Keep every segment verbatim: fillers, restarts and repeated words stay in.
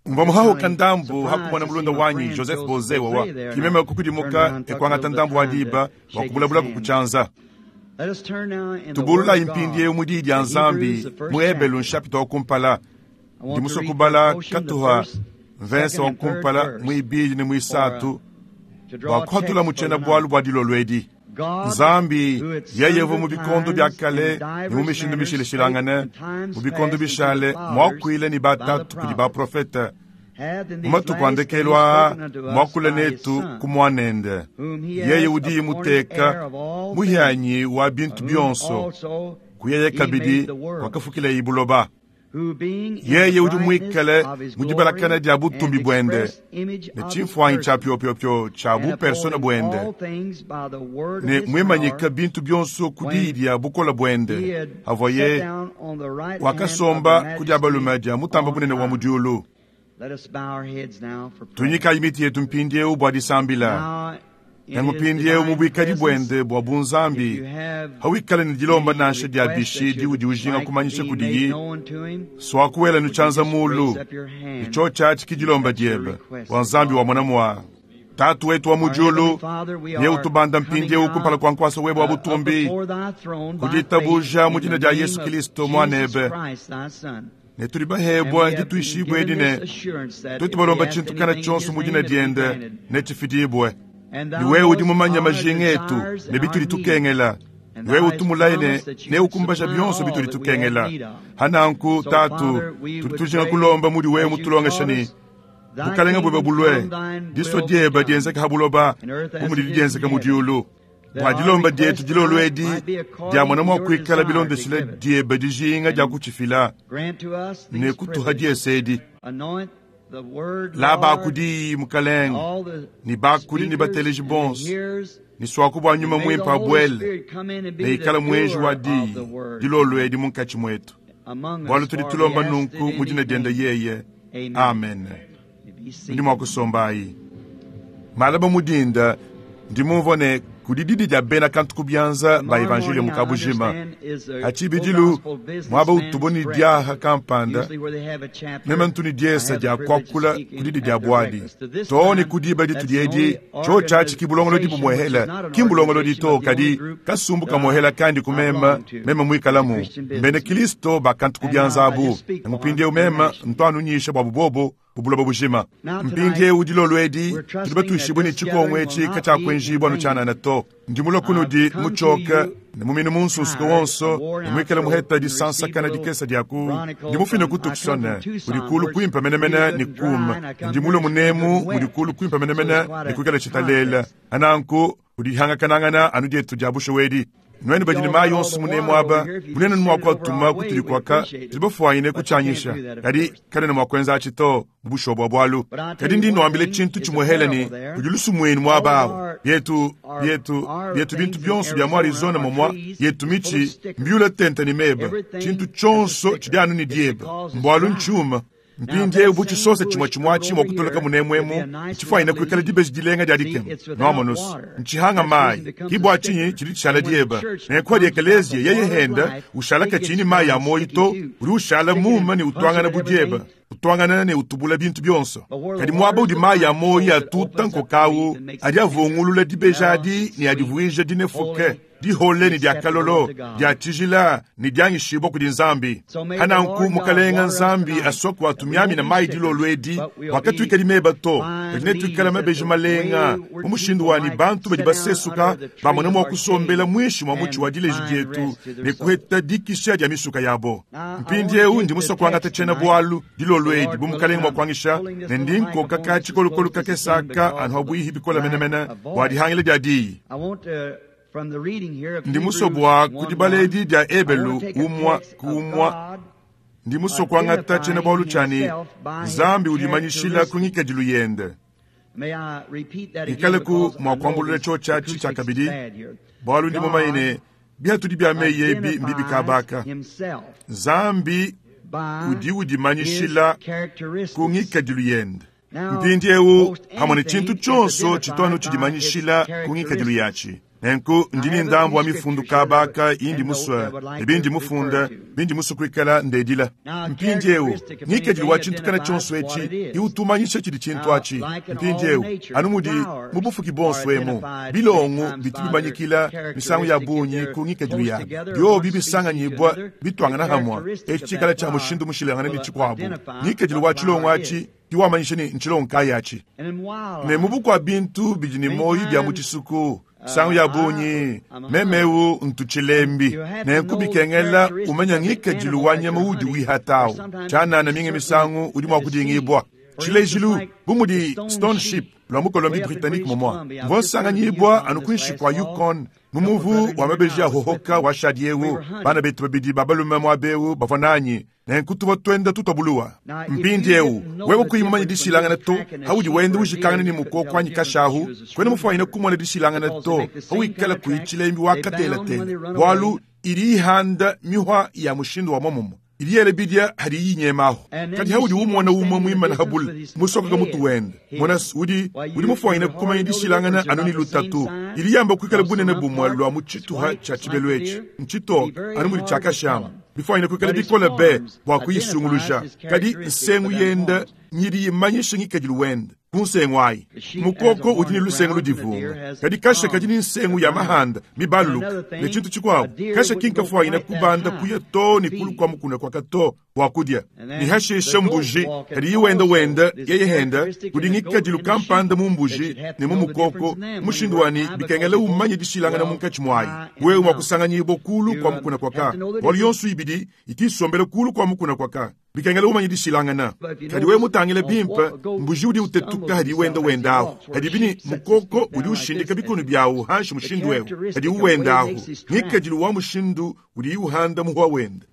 Mva muhahuka ndambu hakumona mulunda wanyi Joseph Boze wawa kimeme kukudimuka ekwangata ndambu wa diba wakubulabulaku kuchanza. Tubulula impindie mu diyi dia Nzambi mu Ebelu nshapita wa kumpala. Ndi musue kubala katuha mvensa wa kumpala muibidi ne muisatu bua kuhatula mu tshiena-bualu bua dilolo edi. Nzambi yeye uvua mu bikondo bia kale ne mu mishindu mishilashilangane, mu bikondo bishale muakuile ne batatu kudi baprofete, mu matuku a ndekelu aa muakule netu ku muanende, yeye udi muteka muhianyi wa bintu bionso, kuyeye kabidi wakafukileye buloba. Yeye udi muikale mu dibalakana dia butumbi buende ne tshimfuanyi tshia piopio tshia bupersona buende ne muimanyika bintu bionso ku diyi dia bukole buende havoye wakasomba ku dia balume dia mutamba bunene wa mu diulu. Tunyikayi miti yetu mpindieu bua disambila. Nangu mpindieu mu buikadi buende bua bunzambi, hawikale ne dilomba nansha dia bishi diudi ujinga kumanyisha kudiyi, swakuwela nutshanza mulu, nicho tshatshi ki dilomba diebe bua Nzambi wa mwana mwa. Tatu wetu wa mu diulu, ye utubanda mpindieu kumpala kua nkuasa webe wa butumbi, kuditabuja mu dina dia Yesu Kristo muanebe, ne tuli bahebwa dituishibwe edi ne tuetu balomba tshintu kana tshionso mu dina diende ne tshifidibwe. Ni wewe udi mumanya majinga etu ne bituli tukengela, ni wewe utumulaye ne neukumbaja bionso bituli tukengela. Hananku tatu, tudi tujinga kulomba mudi wewe mutulongesha ne bukalenga bwebe bulwe, disua diebe dienzeka ha buloba bu mudi dienzeka mu diulu. Bua dilomba dietu dilolo edi dia mwana mua kuikala bilondeshile diebe dijinga dia kutshifila ne kutuha diese edi. La bakudi mukalenga ni bakudi ni bateleji bonso ni swaku bua nyuma mwimpe abuele ne ikala mwenji wa diyi dilolo edi munkatshi mwetu, bualu tudi tulomba nunku mu dina diende yeye, amen. Ndi mua kusombayi malaba mudinda ndi mumvua ne kudi didi dia bena kantu ku bianza ba evanjeliyo mu kabujima. Atshibidilu mwaba utubo ni diaha kampanda meme ntu ni diesa dia kuakula ku didi dia buadi too ne ku diba ditu diedi tshio tshatshi ki bulongolodi bumuehela ki mbulongolodi to kadi kasumbu kamuehela kandi kumema meme muikalamu mbene Kristo bakantu ku bianza abu ngupindieu meme ntuanunyisha bua bubobo bubuloba bujima. Mpindieu dilolo edi tudi batuishibwe ne tshikongo etshi katshiakuenjibua nutshianana to. Ndi mulue kunudi mutshioke ne muminu munsunsuke wonso ne muikale muheta disansakana dikesa dia ku ndi mufine ku Tucson mudi kulu kuimpa menemene ne kuma ndi mulue munemu mudi kulu kuimpa menemene ne kuikala tshitalela ananku kudihangakanangana anu dietu dia bushowedi. Nwenu badi ne mayi yonso munemu aba munene mua kuatuma kutudi kuaka tudi bafuanyine kutshianyisha kadi kanene mua kuenza atshi to mu bushobo bua bualu. Kadi ndi nuambile tshintu tshimuehele ne kudi lusumuinu muaba awu yetu yetu yetu bintu bionso bia mu Arizona momwa yetu mitshi mbiula tente ne meba tshintu tshionso tshidi anu ne dieba mbualu ntshiuma. Mpindieu bu tshisosa tshimue tshimue atshi mua kutoloka munemuemu ntshifuanyine kuikala dibeji dilenga dia dikema noamonusu ntshihanga mayi ki bua tshinyi tshidi tshishala dieba nenku adi ekeleziya yeye henda ushala katshini mayi a moyi to udi ushala muma ne utuangana bu dieba utuangana ne utubula bintu bionso. Kadi muaba udi mayi a moyi atuta nkokawu adi avungulula dibeji adi ne adivuija dinefuke dihole ne dia kalolo dia tshijila ne dianyishibua kudi Nzambi. Hananku mukalenga Nzambi asua kuatumiamina mayi dilolo edi wakatuikali meba to kadi netuikala mabeji malenga mu mushindu wani bantu badi basesuka bamona mua kusombela mwishi mwa mutshi wa dileji dietu ne kuheta dikisha dia misuka yabo. Mpindieu ndi musua kuangata tshiena bualu dilolo edi bu mukalenga mua kuangisha ne ndi nkoka ka tshikolokolo kakesaka anu habuihi bikola menemene bua dihangila dia diyi. Ndi musue bua kudibala edi dia Ebelu umua ku umua. Ndi musue kuangata tshiena-bualu tshiani Nzambi udimanyishila ku ngikadilu yende. Ikale ku mua kuambulula tshio tshiatshi tshia kabidi bualu ndi mumanye ne biatudi bia meyi ebi mbibi kabaka. Nzambi udi udimanyishila ku ngikadilu yende. Mpindieu hamwe ne tshintu tshionso tshituanu tshidimanyishila ku ngikadilu yatshi. Nenku ndi ne ndambu wa mifundu kabaka indi musue ne bindi mufunda bindi musue kuikala ndedila. Mpindiewu ngikadilu wa tshintu kana tshionso etshi iutumanyisha tshidi tshintu atshi. Mpindiewu anu mudi mu bufuki bonso emu bilongo bitu bimanyikila misangu ya bungi ku ngikadilu yabi biobi bisanganyibwa bitwangana hamwa etshi tshikala tshia mushindu mushilangane ne tshikuabu. Ngikadilu wa tshilongo atshi iwamanyisha ne ntshilongo kayi atshi. Ne mu bukua bintu bidi ne moyo bia mu tshisuku sangu ya bungi memeu ntutshilembi nenku bikengela umanya ngikadilu wa nyama udi wihatawu tshianana minga misangu udi mua kudingibwa. Tshilejilu bu mudi stone ship lwa mu Colombie Britannique momwa mvua nsanganyibwa anu kuinshi kua Yukon mu muvu wa mabeji ya hohoka wa shadiewu bana betu babidi ba balume muabewu bavua nanyi nenku tuvua twenda tutwabuluwa. Mpindiewu wewe kuyi mumanye dishilangana to haudi wenda ujikangana ne mukoko anyi kashahu kwena mufuanyine kumona dishilangana to hawikala kuyi tshilembi wakatelatela bualu idi ihanda mihwa ya mushindu wa momomo idi yele bidia hadi yinyemaho. Kadi haudi umona umwe muimana habula musokoka mutu wenda mona udi udi mufuanyine kumanya dishilangana anu ni lutatu idi yamba kuikala bunene bumwe lwa mu tshituha tshia tshibelu etshi ntshitoke anu mudi tshiakashama bifuanyine kuikala bikole be bua kuyisunguluja. Kadi nsengu yenda nyidi yimanyisha ngikadilu wenda ku nsengu ayi. Mukoko udi ne lusengu ludivunga kadi kasha kadi ni nsengu ya mahanda mibaluluka ne tshintu tshikuabu kasha kinkafuanyine kubanda kuya to ne kulu kwa mukuna kwaka to bua kudia ni hashisha mbuji kadi yiwenda wenda yeye henda kudi ngikadilu kampanda mu mbuji ne mu mukoko mushindu wani bikengela umanye dishilangana munkatshi mwayi wewe mwa kusanganyibwa kulu kwa mukuna kwaka bualu yonso ibidi itisombela kulu kwa mukuna kwaka bikengela umanye dishilangana. Kadi wewe mutangile bimpe mbuji udi utetuka hadi wenda wendaho hadi bini mukoko udi ushindika bikono byawu hanshi mushindu wewe hadi uwendaho ngikadilu wa mushindu udi uhanda muhwa wenda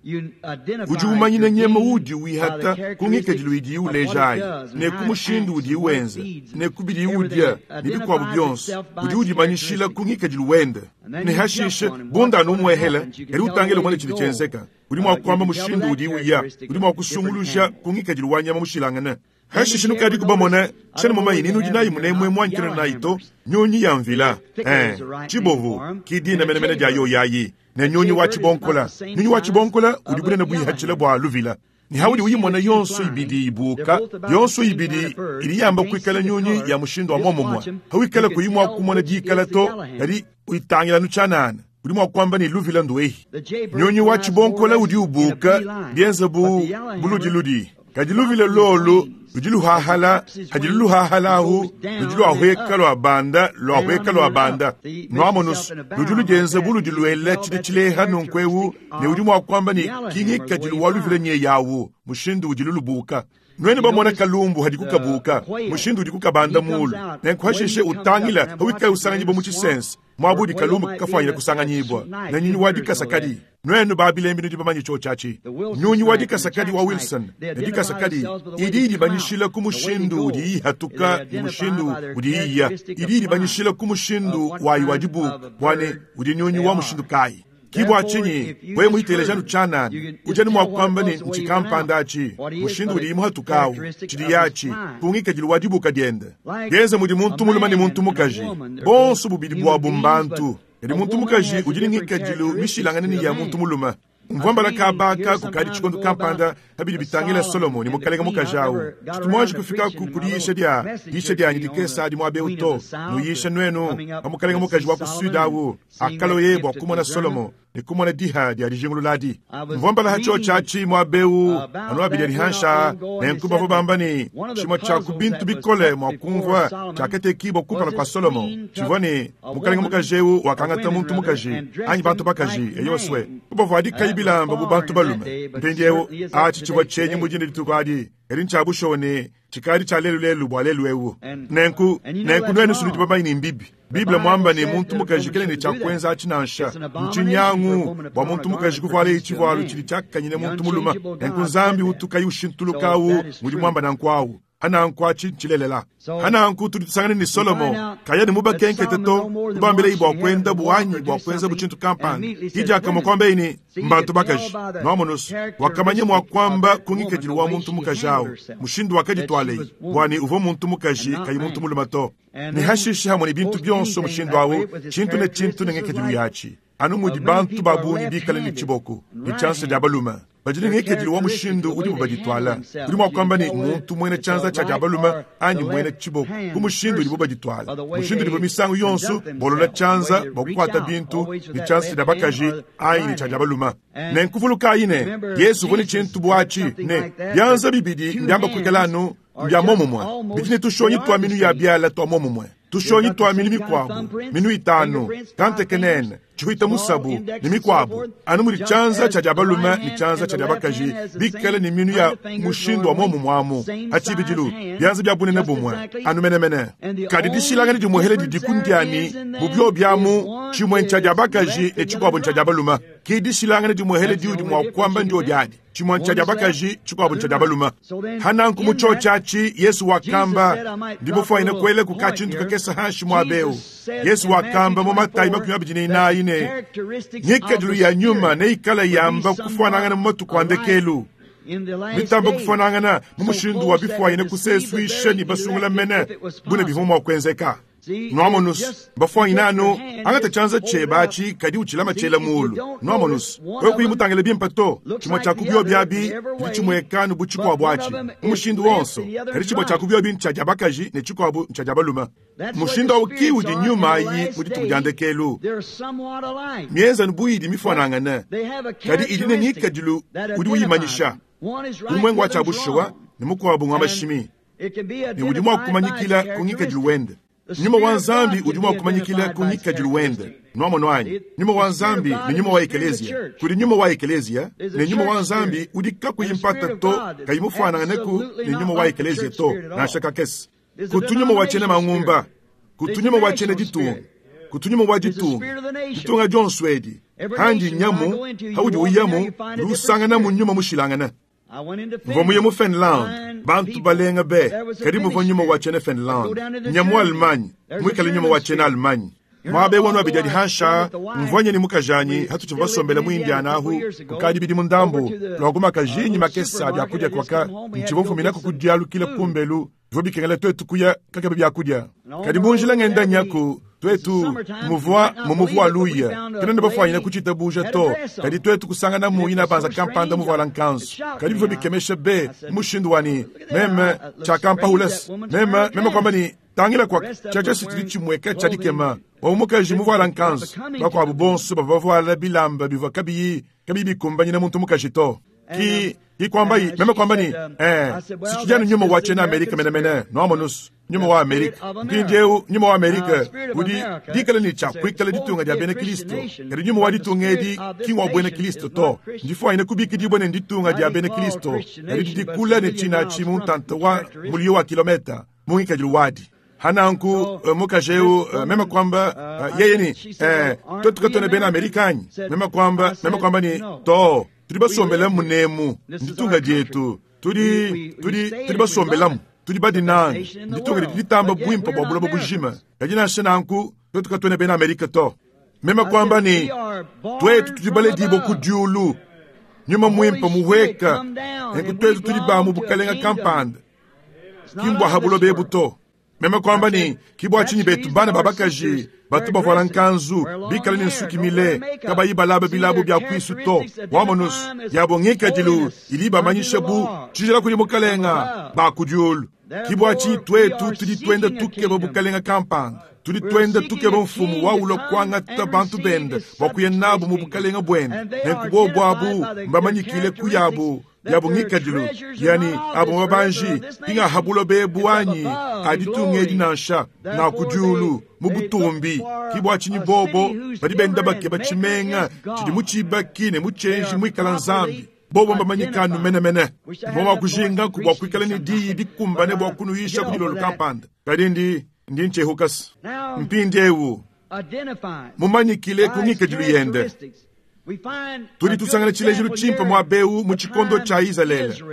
udi umanyina nyema udi wihata ku ngikadilu idi ulejayi ne ku mushindu udi wenza ne ku bidi udia ne bikuabu bionso udi udimanyishila ku ngikadilu wenda ne hashishe bunda numwehela kadi utangile umone tshidi tshienzeka udi mua kuamba mushindu udi uya udi mua kusunguluja ku ngikadilu wa nyama mushilangana. Hashishe nukadi kubamona tshena mumanyi ninu udi nayi munemwe muanyikana nayi to nyunyi ya mvila eh tshibovu kidina menemene dia yo yayi ne nyunyi wa tshibonkola. Nyunyi wa tshibonkola udi bunene buyihatshila bua luvila ni haudi uyimona yonso ibidi ibuka yonso ibidi ili yamba kuikala nyunyi ya mushindu wa momomwa hawikala kuyimwa kumona dikala to kadi uitangila nutshanana udi mua kuamba ne luvila nduehi. Nyunyi wa tshibonkola udi ubuka bienza bu buludiludi kadi luvila lolu ludi luhahala hadi luhahalahu ludi luahweka lua banda luahweka lua banda nuamonus ludi ludienza bu ludi luela tshidi tshileha nunkuewu ne udi mua kuamba ne kingikadilu wa luvila nye yawu mushindu udi lulubuka. Nwene bamona kalumbu hadi kukabuka mushindu udi kukabanda mulu nenku hashishe utangila hawikala usanganyibwa mu tshisense mwabudi kalumbu kafanyira kusanganyibwa na nyunyi wa dikasakadi. Nwenu babilembi nudi bamanyi cho chachi nyunyi wa dikasakadi wa Wilson ne dikasakadi idi idibanyishila ku mushindu udi ihatuka ni mushindu udi iya idi idibanyishila ku mushindu wayi wa dibuka bwane udi nyunyi wa mushindu kayi. Kibwa chinyi wewe muiteleja nutshanana ujani mwa kuamba ne nchikampanda achi mushindu udi imuhatukawu tshidi yachi kungikadilu wa dibuka diende bienza mudi muntu mulume ne muntu mukaji bonso bubidi bua bumbantu kadi muntu mukaji udi ne ngikadilu mishilangane ne ya muntu mulume. Mvua mbala kabaka kukadi tshikondo kampanda habidi bitangila Solomoni mukalenga mukaji awu tshitumwaji kufika ku kudiyisha dia diyisha dianyi dikesa adi muabe uto nuyisha nwenu pa mukalenga mukaji wa ku sud awu akaloye bua kumona Solomo ne kumona diha dia dijingululadi. Mvua mbala hacho chachi muabewu anu abidi adihansha nenku bavua bamba ne tshimue tshia ku bintu bikole mua kumvua tshiakatekibua kumpala kua Solomo tshivua ne mukalenga mukaji ewu wakangata muntu mukaji anyi bantu bakaji eyoswe kubavuadikayi bilamba bu bantu balume. Mpindiewu atshi tshivua tshenyi mudine dituku adi kadi ntshiabushowa ne tshikadi tshia lelu lelu bua lelu ewu. Nenku nenku nwenu sunudi bamanyi ne mbibi Bible mwamba ne muntu mukaji kele ne tshiakwenza atshi nansha ntshinyangu bua muntu mukaji kuvuala tshivualu tshidi tshiakanyine muntu mulume. Nenku Nzambi utukayi ushintulukawu mudi mwamba nanku awu. Hananku achi ntshilelela. Hananku tudi tusangana ne Solomo kaya ne mubakenkete to kubambila bua kuenda buanyi bua kuenza butshintu kampanda. Hijaka mukwambe ni mbantu bakaji. Nwamonus wakamanya mwa kwamba kungikadilu wa muntu mukaji awo. Mushindu wakaditwalei bwani uvo muntu mukaji kayi muntu mulume to. Ni hashishi hamwe ni bintu byonso mushindu awo chintu ne chintu ne ngekedilu yachi. Anu mudi bantu babungi bikale ni chiboko ni chance dia balume. Bajini ngekedilu wa mushindu udi mubaditwala. Udi mwa kwamba ni muntu mwene chanza cha dia balume anyi mwene chiboko. Ku mushindu udi mubaditwala. Mushindu udi misangu yonso bolola chanza bokukwata bintu ni chance dia bakaji anyi ni cha dia balume. Ne nkuvuluka ine Yesu voni chintu bwachi ne byanza bibidi mbyamba kwikalanu mbya momumwe. Bitine tushonyi twa minu ya byala twa momumwe. Tushonyi twa minu mikwabo, minu itano, kante kenene, chihuita musabu, ni mikwabo. Anu muri chanza cha jabalume ni chanza cha jabakaji, bikale ni minu ya mushindu wa momumwamu. Achibijilu, byanza bya bunene bumwe, anu menemene. Kadi dishilangani dimuhele didikundiani, bubyo byamu, chimwe ncha jabakaji ne chikwabo ncha jabalume. Ki dishilangani dimuhele diudi mwa kwamba ndio diadi. Chimwe ncha jabakaji, chikwabo ncha jabalume. Hananku muchochachi, Yesu wakamba, ndibufwa ine kwele kukachintu kakesa hanshi mwabeu. Yesu wakamba mu Matayi makumi abiri n'ine. Nyikadilu ya nyuma neikala yamba kufanangana mu matuku andekelu. Mitamba kufanangana mu mushindu wa bifwa ine kuseswisha ni basungula mene bune bivuma kwenzeka. Nwamonus bafwa inano angata chanza chebachi kadi uchilama chela mulu. Nwamonus wewe kuyimutangele bimpa to chimwe cha kubyo byabi ndichimwekanu buchikwa bwachi. Umushindu wonso kadi chimwe cha kubyo bi ncha jabakaji ne chikwa bu ncha jabaluma. Mushindu awuki udi nyuma yi muditujandekelu. Mienza nbuyidi mifanangana kadi idine nikadilu udi uyimanyisha. Umwengo wa chabushuwa ni mukwabu ngwamashimi. Ni udi mwakumanyikila kungikadilu wende. Nyuma wa Nzambi udi mwakumanyikila kungikadilu wende. Nwamono anyi. Nyuma wa Nzambi ni nyuma wa ekelezia. Kuli nyuma wa ekelezia ni nyuma wa Nzambi udi kakuyimpata to kayimufananganaku ni nyuma wa ekelezia to nashaka kesi. Kutunyuma wa chene mangumba. Kutunyuma wa chene ditunga. Kutunyuma wa ditunga. Ditunga John Swedi. Handi nyamu haudi uyamu lusangana mu nyuma mushilangana. Mvomuye mu Finland, bantu balenga be, kadi muvo nyuma wa chene Finland. Nyamu Almanya, mwikale nyuma wa chene Almanya. Mwabe wanu abijadi hansha, mvwanye ni mukajanyi, hatu chivasombele mu Indiana ahu, kukadi bidi mundambu, lwaguma kajinyi makesa byakudia kwaka, nchivofu minako kudialukile kumbelu, vobikengela twetu kuya kakebe byakudia. Kadi munjila ngenda nyaku, twetu muvua mumuvua luya kena ndabafwanyina kuchita buja to kadi twetu kusangana muyina banza kampanda muvala nkanzu kadi bivyo bikemesha be mushindu wani meme chakampa hules meme meme kwamba ni tangila kwa chacha sitili chimweka chadikema waumukaji muvala nkanzu bakwabu bonso bavavala bilamba bivwa kabiyi kabiyi bikumbanyina muntu mukaji to ki ikwamba yi meme kwamba ni eh sichijana nyuma wa chena Amerika mene mene nwamonus nyuma wa Amerika mpindieu nyuma wa Amerika udi dikala ni cha kwikala ditunga dia bene Kristo kadi nyuma wa ditunga edi ki wa bwene Kristo to ndifwa ine kubiki dibwene nditunga dia bene Kristo kadi dikula ne china chimuntanta wa mulio wa kilometa mungi kadilu wadi hananku uh, mukajeu uh, mema kwamba uh, yeye ni eh twetu katone bene Amerikani mema kwamba mema kwamba ni to tuli basombela munemu nditunga dietu tuli tuli tuli basombelamu tuli badinanga nditunga litamba bwimpa bwa bulobo bujima kadi nansha nanku twetu katone bena Amerika to mema kwamba ni twetu tudi baledibo ku diulu nyuma mwimpa muweka nenku twetu tudi bamu bukalenga kampanda kimbwa habulobe ebu to mema kwamba ni kibwa chinyi betu bana babakaji batu bavala nkanzu bikala ni nsuki mile kabayi balaba bilabo bya kwisu to wamonus yabo ngikadilu ili bamanyisha bu tshijila kuli mukalenga bakudiulu kibwa chinyi twetu tudi twenda tukeba bukalenga kampanda tudi twenda tukeba mfumu waulo kwangata bantu bende bakuya nabu mu bukalenga bwende nenku bwabu mbamanyikile kuyabu yabo ngikadilu yani abo babanji inga habulo bebu anyi aditunga nansha na kudiulu mu butumbi kibwa chinyi bobo badi benda bake bachimenga chidi muchibaki ne muchenji mwikala nzambi bobo mbamanyikanu menemene mboma kujinga kubwa kwikala ni diyi dikumbane bwa kunuyisha kudilolo kampanda kadi ndi ndi nchehukasi mpindi ewu mumanyikile kungikadilu yende tudi tusangana tshilejilu tshimpe mwa beu mu tshikondo tshia Izalele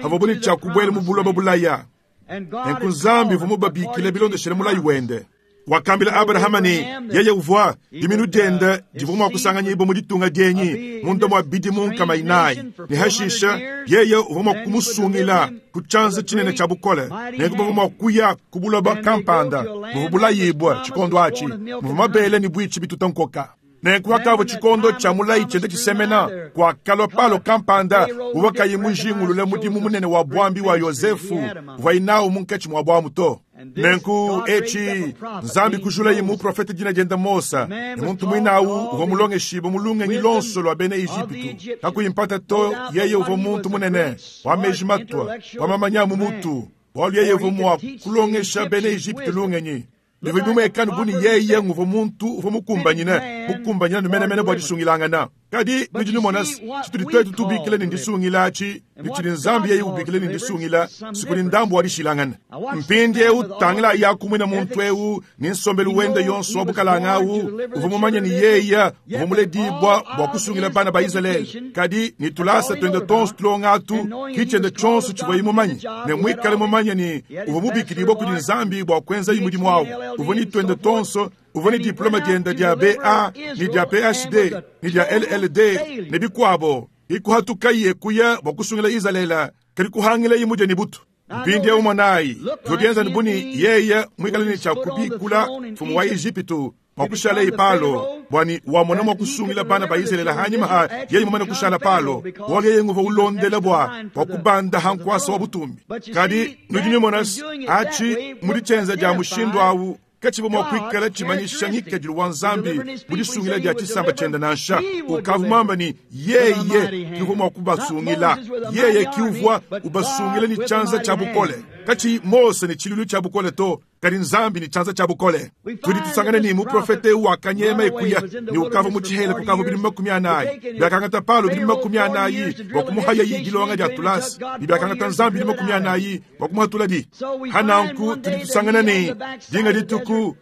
havobuni tshia kubwela mu buloba bulaya Nenku Nzambi uvua mubabikile bilondeshile mulayi wende. Wakambila Abrahama ne yeye uvua diminu diende divua mua kusanganyibua mu ditunga dienyi munda mua bidimu nkama inayi, ne hashisha yeye uvua mua kumusungila ku tshianza tshinene tshia bukole. Nenku bavua mua kuya ku buloba kampanda buvua bulayibua tshikondo atshi, muvua mabele ne buitshi bituta nkoka. Nenku hakavua tshikondo tshia mulayi tshiende tshisemena, kuakalua Palo kampanda uvua kayi mujingulule mudimu munene wa buambi wa Yozefu uvuaye nawu munkatshi mua buamu to. Nenku etshi Nzambi kujulaye muprofete dina diende Mose, ne muntu muinawu uvua mulongeshibue mu lungenyi lonso lua bena Ejipitu. Kakuyi mpata to, yeye uvua muntu munene wa meji matua, wa mamanya mu mutu, bualu yeye uvua mua kulongesha bena Ejipitu lungenyi. Bivua bimuekanu bu ne yeye nguvua muntu uvua mukumbanyine mukumbanyine numenemene bua disungilangana. Kadi nudi numona tshitudi twetu tubikila ne ndisungila atshi, ne tshidi Nzambi yeye ubikila ne ndisungila, sikudi ndambu wa dishilangana. Mpindiewu tangila yakumwina muntu ewu ne nsombelu wende yonso wa bukalanga awu, uvua mumanye ne yeye uvua muledibua bua kusungila bana ba Izalele. Kadi ne tulasa twende tonso tulonga atu, ki tshiende tshionso tshivuaye mumanye, ne muikale mumanye ne uvua mubikidibua kudi Nzambi bua kuenzaye mudimu awu. Uvua ne twende tonso, uvua ne diploma diende dia B A ne dia P H D ne dia L L D ne bikuabo. Ikuhatukaye kuya bua kusungila Izalele, kadi kuhangilaye mudie ne butu. Mpindiewu monayi, bivua bienza bu ne yeye muikale ne tshia kubikula mfumu wa Ejipitu bua kushalaye Palo, bua ne wamona mua kusungila bana ba Izalele hanyima ha yeye mumane kushala Palo, bualu yeye nguvua ulondela bua bua kubanda ha nkuasa wa butumbi. Kadi nudi numona atshi mudi tshienza dia mushindu awu katshibu mua kuikala tshimanyisha ngikadilu wa Nzambi mu disungila dia tshisamba tshiende nansha. Ukavua muamba ne yeye kiuvua mua kubasungila, yeye kiuvua ubasungila ne tshianza tshia bukole. Katshi Mose ne tshilulu tshia bukole to, kadi Nzambi ne tshianza tshia bukole. Tudi tusangana ne muprofete wakanyema ekuya ne ukavua mu tshihela kukavua bidimu makumi anayi. Biakangata Palo bidimu makumi anayi bua kumuhaya yi dilonga dia tulasa, ne biakangata Nzambi bidimu makumi anayi bua kumuhatula di. Hananku tudi tusangana ne dinga dituku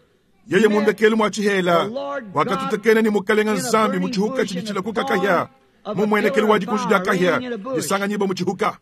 yeye mundekelu mwa tshihela wakatutekena ne mukalenga Nzambi mu tshihuka tshidi tshilakuka kahia, mumuenekelu wa dikunji dia kahia disanganyiba mu tshihuka.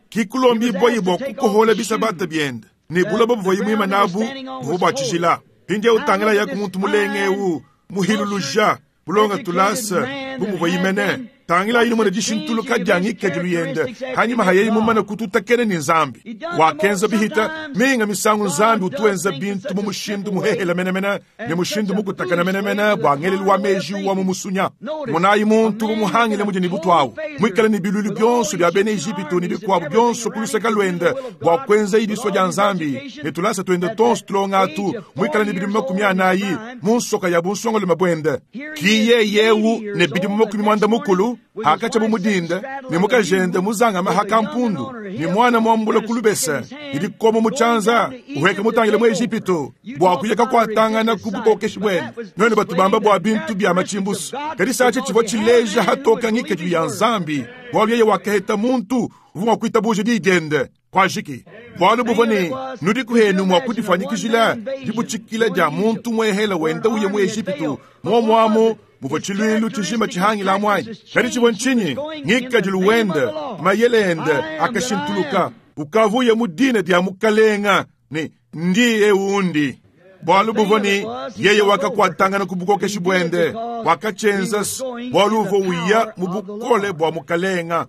Kikulombi bua kukohola bisabata biende ne buloba buvuaye muima nabu buvua bua tshijila. Mpindiewu utangila yaku muntu mulenge ewu muhiluluja bulonga tulasa bu muvuaye mene. Tangila yini mwana dishintuluka dia ngikadilu yende hanyuma hayeyi mumane kututakene ne Nzambi. Wakenza bihita minga misangu Nzambi utuenza bintu mu mushindu muhehela menemene ne mushindu mukutakana menemene bua ngelelu wa meji wa mu musunya. Monayi muntu bumuhangile mudi ne butu awu, muikale ne bilulu bionso bia bena Ejipitu ne bikuabu bionso ku luseke luende bua kuenza idisua dia Nzambi, ne tulasa tuende tonso tulonga atu, muikale ne bidimu makumi anayi mu nsoka ya bunsongalume buende. Ki yeyewu ne bidimu makumi muanda mukulu hakatsha bu mudinda ne mukajende muzangama hakampundu ne mwana mwambula kulubesa ne dikoma mu tshianza uheka mutangile mu Ejipitu bua kuyeka kuatangana ku bukokeshi bwende. None batubamba bua bintu bia machimbusu, kadi satshe tshivua tshileja hatoka ngikadilu ya Nzambi, bualu yeye wakaheta muntu uvua mua kuitabuja diyi diende kwajiki. Bualu buvua ne nudi kuhenu mua kudifanyikijila dibutshikila dia muntu muehela wenda uye mu Ejipitu muomuamu muvua tshiluilu tshijima tshihangila muanyi. Kadi tshivua ntshinyi? Ngikadilu wende mayele ende akashintuluka, ukavuye mu dina dia mukalenga ne ndiye undi. Bualu buvua ne yeye wakakuatangana ku bukokeshi buende, wakatshienza bualu uvua uya mu bukole bua mukalenga.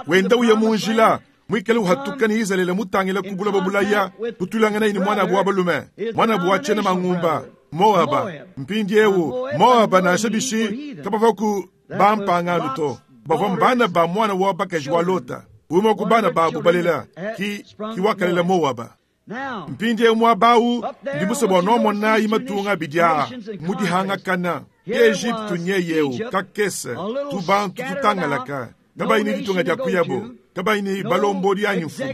Wenda uya mu njila muikale uhatuka ne Izalele mutangila ku buloba bulaya, kutulangana ne mwana wa balume, mwana wa tshiena mangumba Moaba. Mpindiewu Moaba nansha bishi kabava ku bampangano to, bavua mbana ba mwana wa bakaji wa Lota, umwe ku bana babu balela ki ki wakalela Moaba. Mpindiewu muabawu ndi musue bua nuamonayi matunga abidi aa mudihangakana. Ejipitu nyeyewu kakese tubantu tutangalaka, kabayi ne ditunga dia kuyabo, kabayi ne balombodi anyi mfumu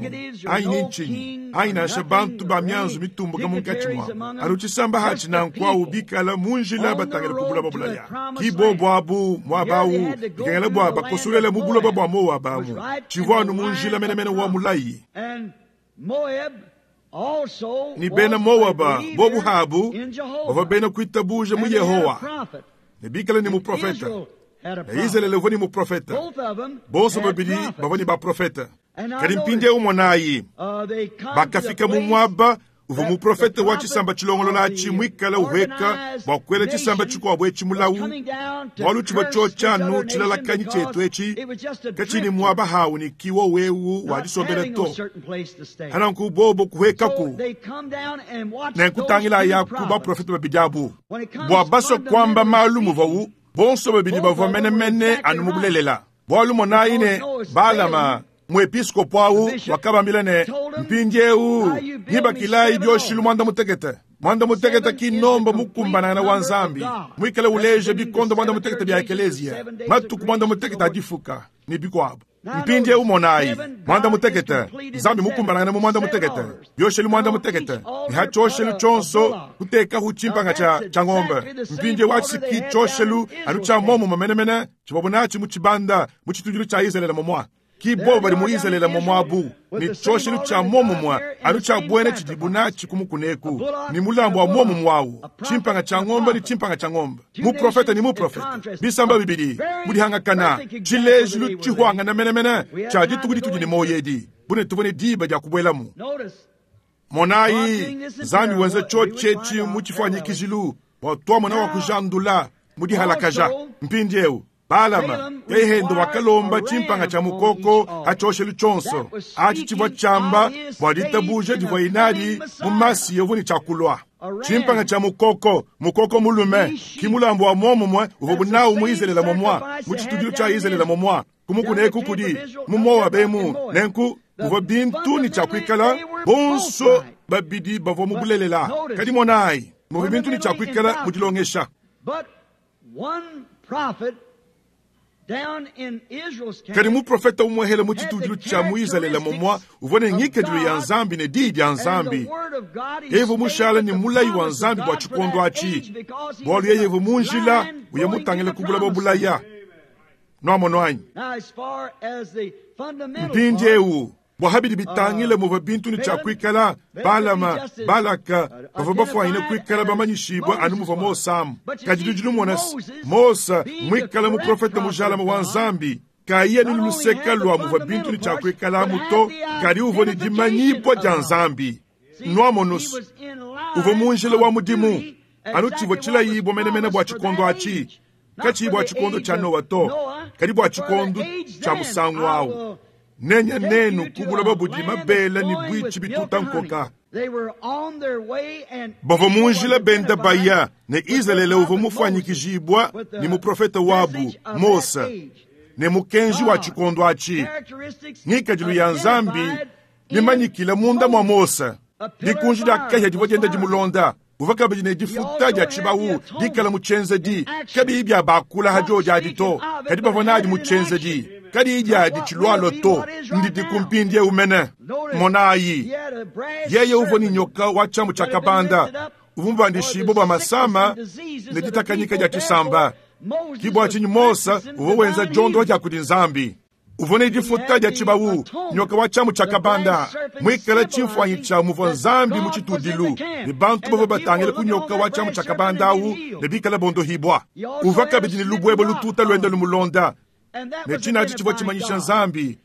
anyi ne ntshinyi anyi nansha bantu ba mianzu mitumbuka munkatshi muabu. Anu tshisamba hatshi nanku bikala mu njila batangila ku buloba bulaya. Ki bobo abu muabawu bikengela bua bakosolela mu buloba bua Moaba amu, tshivua anu mu njila menemene wa mulayi. Ni bena Moaba bobu habu bavua bena kuitabuja mu Yehowa, ne bikala ne muprofeta. Ne Izalele uvua ne muprofeta, bonso babidi bavua ne baprofeta. Kadi mpindieu monayi, bakafika mu muaba uvua muprofete wa tshisamba tshilongolola atshi muikale uhueka bua kuela tshisamba tshikuabu etshi mulawu, bualu tshivua tshiotshanu tshilalakanyi tshietu etshi katshini muaba hawu ne kiwo wewu wa disombela to. Hananku bobo kuhuekaku nenkutangila yaku baprofete babidi abu bua basua kuamba malu muvawu bonso babidi bavua menemene anu mu bulelela. Bualu monayi ne Balama muepiskopo awu wakabambila ne mpindieu ngibakilayi bioshilu mwanda mutekete mwanda mutekete kinomba mukumbanangana wa Nzambi muikale uleja bikondo mwanda mutekete bya ekelezia matuku mwanda mutekete adifuka ne bikuabu. Mpindieu monayi mwanda mutekete Nzambi mukumbanangana mu mwanda mutekete bioshelu mwanda mutekete ne hatshioshelu tshionso kutekahu tshimpanga tshia tshia ng'ombe. Mpindieu atshiki tshioshelu anu tshia momumue menemene tshivua natshi mu tshibanda mu tshitudilu tshia Izraele momua. Ki bobo badi mu Izraele momwabu ne tshioshelu tshia momumue anu tshia buena tshidibu natshi ku mukuneku ne mulambu wa momumue awu tshimpanga tshia ng'ombe ne tshimpanga tshia ng'ombe muprofete ne muprofete bisamba bibidi mudihangakana tshilejilu tshihuangana menemene tshia dituku ditudi ne moyo edi bune tuvua ne diba dia kubuelamu. Monayi Nzambi wenza tshiotshi mu tshifuanyikijilu bua tuamona wa kujandula mudihalakaja. Mpindieu Balama yehendo wakalomba tshimpanga tshia mukoko hatshioshelu tshionso atshi tshivua tshiamba bua ditabuja divua inadi mu masi yovua ne tshiakulua. Tshimpanga tshia mukoko mukoko mulume ki mulambu wa momumue uvua bunawu mu Izraele momua mu tshitudilu tshia Izraele momua kumukuneku kudi mu Moabe mu nenku muvua bintu ne tshiakuikala bonso babidi bavua mu bulelela. Kadi monayi muvua bintu ne tshiakuikala mu dilongesha. Kadi muprofete umwehele mu tshitudilu tshia mu Izraele momua uvua ne ngikadilu ya Nzambi ne diyi dia Nzambi. Yeye mushala ne mulayi wa Nzambi bua tshikondo atshi bualu yeye mu njila uye mutangile kubula babulaya. Nwamono anyi? Mpindieu bua habidi bitangile muvua bintu ne tshiakuikala Balama Balaka bavua bafuanyine kuikala bamanyishibua anu muvua Mose amu. Kadi tudi lumona Mose muikale muprofete mujalama wa Nzambi kayiye ni luseka lua muvua bintu ne tshiakuikala amu to, kadi uvua ne dimanyibua dia Nzambi. Nwamono uvua mu njila wa mudimu anu tshivua tshilayibua menemene bua tshikondo atshi katshiyi bua tshikondo tshia Noa to, kadi bua tshikondo tshia musangu awu. Nenya nenu kubula babudi mabela ne bwitshi bituta nkoka. Bavua mu njila benda baya ne Izraele uvua mufuanyikijibua ne muprofete wabu Mose ne mukenji wa tshikondo atshi. Ngikadilu ya Nzambi mimanyikile munda mua Mose. Dikunji dia kahia divua dienda dimulonda uvua kabidi ne difuta dia tshibawu dikala mu tshienzedi kabiyi bia bakula hadio diadi to, kadi bavua nadi mu tshienzedi kadi diadi tshilualo to ndidi kumpindie umene. Monayi yeye uvua ne nyoka wa tshiamu tshia kabanda uvua mubandishibua bua masama ne ditakanyika dia tshisamba. Kibua tshinyi Mose uvua wenza diondo dia kudi Nzambi. Uvua ne difuta dia tshibawu nyoka wa tshiamu tshia kabanda muikale tshifuanyi tshia muvua Nzambi mu tshitudilu ne bantu bavua batangile ku nyoka wa tshiamu tshia kabanda awu ne bikale bondohibua. Uvua kabidi ne lubuebo lututa luenda lumulonda ne tshinatshi tshivua tshimanyisha Nzambi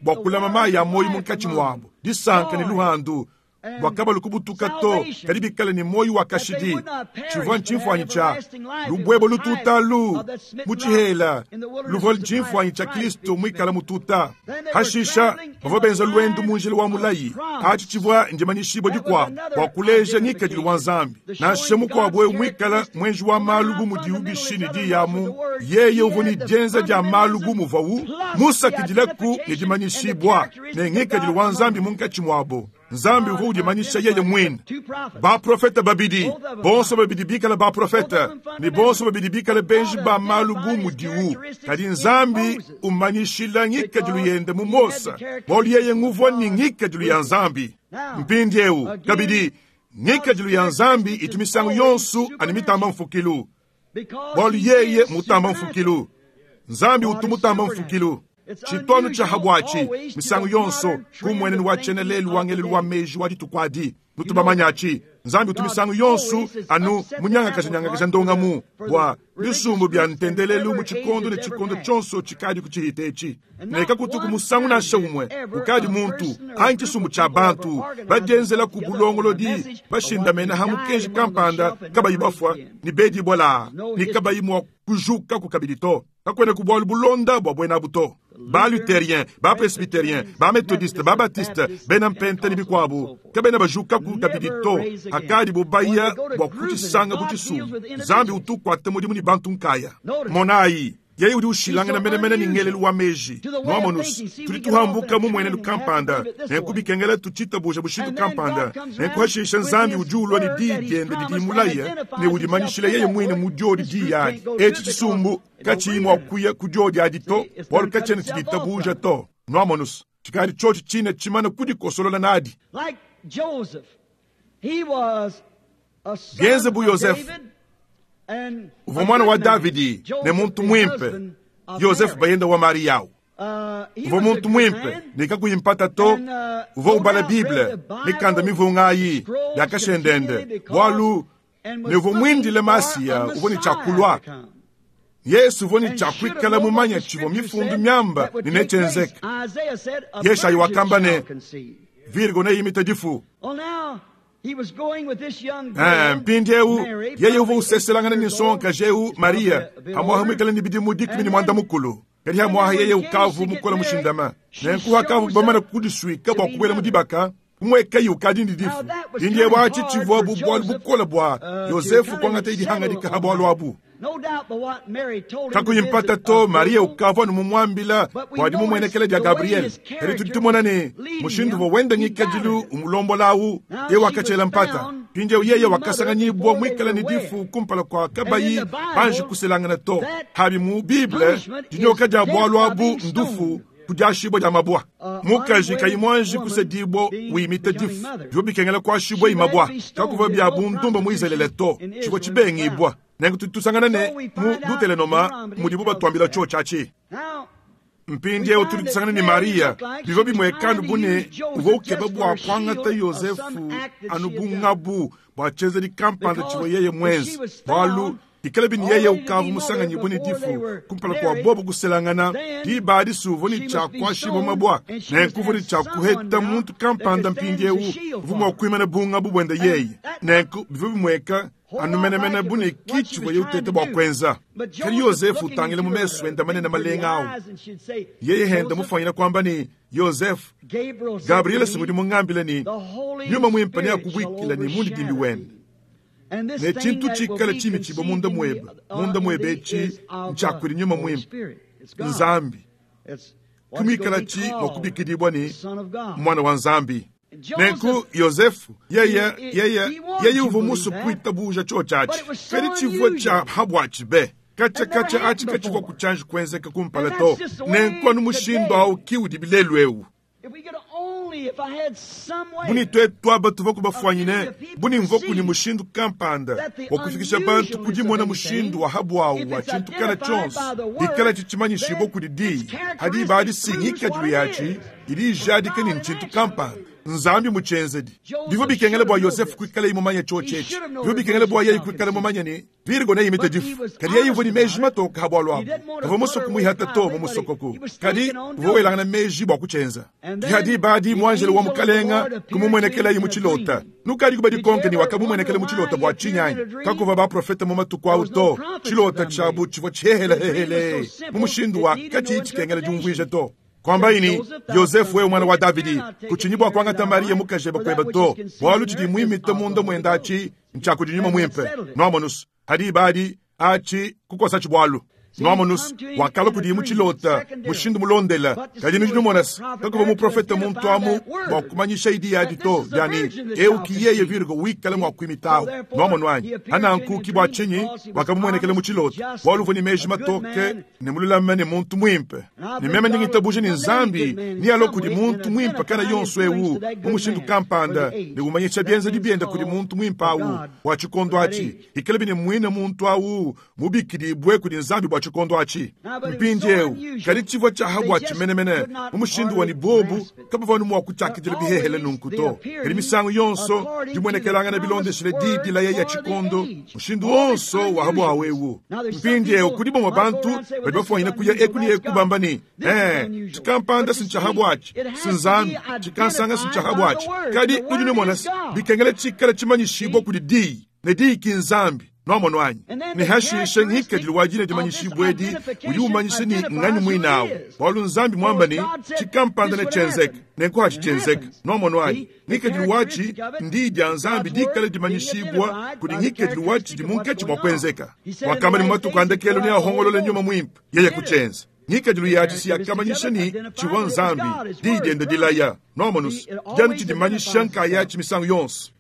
bua kulama mayi ya moyo munkatshi muabu disanka ne luhandu bua kabalu kubutuka to, kadi bikale ne moyo wa kashidi. Tshivua ntshifuanyi tshia lubuebo lututalu mu tshihela luvua ntshifuanyi tshia Kristo muikale mututa. Hashisha bavua benza luendu mu njila wa mulayi atshi tshivua ndimanyishibua dikuabu bua kuleja ngikadilu wa Nzambi. Nansha mukuabu wewe muikale mwenji wa malu bu mudiwu bishi ne diyamu yeye uvua ne dienza dia malu bu muvuawu musakidileku ne dimanyishibua ne ngikadilu wa Nzambi munkatshi muabo. Nzambi uvua udimanyisha yeye mwine. Baprofete babidi bonso babidi bikale baprofete ne bonso babidi bikale benji ba malu bu mudiwu, kadi Nzambi umanyishila ngikadilu yende mu Mose bualu yeye nguvua ne ngikadilu ya Nzambi. Mpindieu kabidi ngikadilu ya Nzambi itu misangu yonso ani mitamba mfukilu bualu yeye mutamba mfukilu. Nzambi utu mutamba mfukilu. Tshitondo tshia habwatshi misangu yonso kumwenenu wa tshena lelu wa ngelelu wa meji wa dituku adi nutubamanyachi nzambi utu misangu yonso anu munyangakaja ndongamu bwa bisumbu bya ntendelelu mu tshikondo ne tshikondo tshonso tshikadi kutshiita etshi neka kutuku musangu nansha umwe ukadi muntu anyi tshisumbu tshia bantu badienzela ku bulongolodi bashindamena ha mukenji kampanda kabayi bafwa ni bedibwa la ni kabayi mwa kujuka ku kabidi to kakwena ku bwalu bulonda bwa bwena buto ba luthérien ba presbytérien ba méthodiste ba baptiste bena mpenta ni bikwabu kabena bajuka ku kabidi to akadi bubaya bwa kutshisanga butshisumbu nzambi utukwata mudimu ni bantu nkaya monayi yeye udi ushilangana menemene ni ngelelu wa meji nwamonusi tudi tuhambuka mu mwenenu kampanda nenkubikengela tutshitabuja bushitu kampanda nenkuhashisha nzambi udi ulwa ni diyi diende didi mulaya ne udimanyishila yeye mwine mu diodi diyi adi etshi tshisumbu katshiyi mua kuya ku diodi adi to bualu katshiena tshiditabuja to nwamonusi tshikadi tshiotshi tshine tshimana kudikosolola nadi Like Joseph, he was a son Genze bu of Yosefu. David and uvua a mwana good wa man. Davidi ne Joseph, muntu the mwimpe husband of Yosefu Mary. bayenda wa Mariyawu Uh, he uvua was a muntu good mwimpe man. ne kakuyimpata to And, uh, uvua no ubala doubt read Bible the Bible mikanda mivungayi scrolls yakashendende continually because- bwalu and was ne uvua looking mwindile for a Masiya uvua ne Messiah tshiakulwa to come. Yesu uvua ne And tshiakuikala should have known mumanya what the tshivua scripture mifundu said miamba that would ne take place. nechenzeka Isaiah said, "A Yeshayi virgin wakamba ne shall conceive." Virgo neyimita difu Well, now, he was going with this young Eh, girl, mpindiewu Mary, yeye uvua probably useselangana eight ni years old. nsonga jewu She's probably Maria a bit hamwaha older. mwikala ni bidimu dikumi ni And mwanda then- mukulu kadi hamwaha And then yeye when ukavu came to get mukola married, mushindama she nenkuha kavu shows bamana up kudiswika to bwa be kubwela mother. mudibaka kumwekayi ukadi ndi Now difu that was indiye kinda bwachi hard tshivua for bu bwalu Joseph, bukola bwa uh, to Yosefu kinda kwangata idihanga settle dikaha on bwalu that. abu No doubt by what Mary told him to kakuyimpata visit to a Maria Virgo, ukavua numumwambila But we bwadi notice mumwenekele dia the way Gabriel his kadi character tudi tumona ne was leading mushindu him, uvua wenda he ngikadilu doubted it. umulombola-awu Now ye she wakatshela was mpata found mpindiewu yeye to be wakasanganyibwa mother mwikala before ni they were difu kumpala kwa And in kabayi the Bible, banji kuselangana to that habi mu Bible punishment dinyoka is dia death bwalu by abu being ndufu stoned. kudiashibwa dia mabwa Uh, mukaji unwed kayi mwanji woman kusedibwa being wimita becoming difu mother. bivua bikengela kuashibwa She imabwa had to be stoned. kakuva There's bya no bundumba mu Israele to prostitution in tshivua Israel tshibengibwa nenku tudi tusangana ne So we mu find out Deuteronoma Deuteronomy mudibu tells batuambila us tsho tshiatshi Now, mpindiewu tudi tusangana ni Maria bivua bimwekanu bune uvua ukeba bua kuangata Yosefu anu bungabu bua tshienzedi kampanda tshivua yeye mwenze bualu ikala bini yeye ukavu musanganyibue ne difu kumpala kua bobo kuselangana diba adi uvua ne tshia kuashibua mabua nenku uvua ne tshia kuheta muntu kampanda mpindiewu uvua mua kuimana bungabu buende yeye nenku bivua bimweka anu menemene bune ki tshivua ye uteta bua kuenza kadi Yosefu utangile mu mesu enda manene malenga awu yeye henda mufanyina kwamba ni Yosefu Gabriel simudi mungambile ni nyuma mwimpe ne akubwikila ni mundidimbi wende ne tshintu tshikala tshimi tshibwa munda mwebe munda mwebe etshi ntshiakudi nyuma mwimpe nzambi kumikala tshi mua kubikidibwa ni mwana wa nzambi nenku Yosefu yeye yeye yeye uvua musu kuitabuja tsho tshiatshi kadi tshivua tshia habwatshi be katshia katshia atshi katshivua kutshanji kuenzeka kumpala to nenku anu mushindu awu ki udi bilelu ewu buni twetu aba tuvua kubafwanyine buni mvua kuni mushindu kampanda wa kufikisha bantu kudimona mushindu wa habwawu wa tshintu kana tshonso dikala tshitshimanyishibwa kudi diyi hadi ba disingikadilu yatshi idi ijadika ni ntshintu kampanda nzambi mutshenzedi bivua bikengela bua Yosefu kuikala imumanya tsho tshetshi bivua bikengela bua yeye kuikala mumanya ni Virgo neyimita difu kadi yeye uvua ni meji matoka ha bwalu abu kavua musoku muihata to mu musokoku kadi uvua welangana meji bua kutshenza kihadi badi muanjelo wa mukalenga kumumwenekelayi mu tshilota nukadi kuba dikonke ni wakamumwenekele mu tshilota bua tshinyanyi kakuva baprofeta mu matuku awu to tshilota tshiabu tshivua tshihehelehehele mu mushindu wa katshiyi tshikengela diumvuija to kwamba ini Yosefu wewe mwana wa Davidi kutshinyi bua kuangata Maria mukajeba kueba to bualu tshidi muimita munda muenda atshi ntshiakudi nyuma mwimpe nwamonusu hadi badi atshi kukosa tshibwalu nwamonusu wakala kudi mu tshilota mushindu mulondela kadi nudi numonasi kakuva muprofeta muntu amu bua kumanyisha idi yadi to diani eu ki yeye Virgo wikala mua kuimitawu nwamonu anyi hananku ki bua tshinyi wakamumuenekele mu tshilota bualu uvua ni meji matoke ne mululame ne muntu mwimpe ne meme ndingitabuje ni nzambi ni alo kudi muntu mwimpe kana yonso ewu mu mushindu kampanda ne umanyisha bienzedi bienda kudi muntu mwimpe awu bua tshikondo atshi ikala bine mwine muntu awu mubikidibwe kudi nzambi bua tshikondo atshi. Mpindieu kadi tshivua tshia habua tshimenemene mu mushindu wa ne bobu kabavua anu mua kutshiakidila bihehele nunku to. Kadi misangu yonso dimuenekelangana bilondeshile diyi dilaya ya tshikondo, mushindu wonso wa habua wewu. Mpindieu kudi bamue bantu badi bafuanyina kuya eku ne eku bamba ne, eh, tshikampanda si ntshia habua atshi, si Nzambi, tshikansanga si ntshia habua atshi. Kadi nudi numona bikengela tshikala tshimanyishibua kudi diyi, ne diyi ki Nzambi. Nwamonu anyi? Ne hashishe ngikadilu wa dina dimanyishibua edi udi umanyisha ne nganyi muinawu. Bualu Nzambi mwamba ne tshikampanda ne tshenzeka, nenku hatshi tshenzeka. Nwamonu anyi? Ngikadilu watshi ndiyi dia Nzambi dikala dimanyishibua kudi ngikadilu watshi di munkatshi mua kuenzeka. Wakamba ne mu matuku a ndekelu neahongolole nyuma muimpe, yeye kutshenza. Ngikadilu yatshi si yakamanyisha ne tshivua Nzambi, diyi diende dilaya. Nwamonu, dianu tshidimanyisha nkayatshi misangu yonso.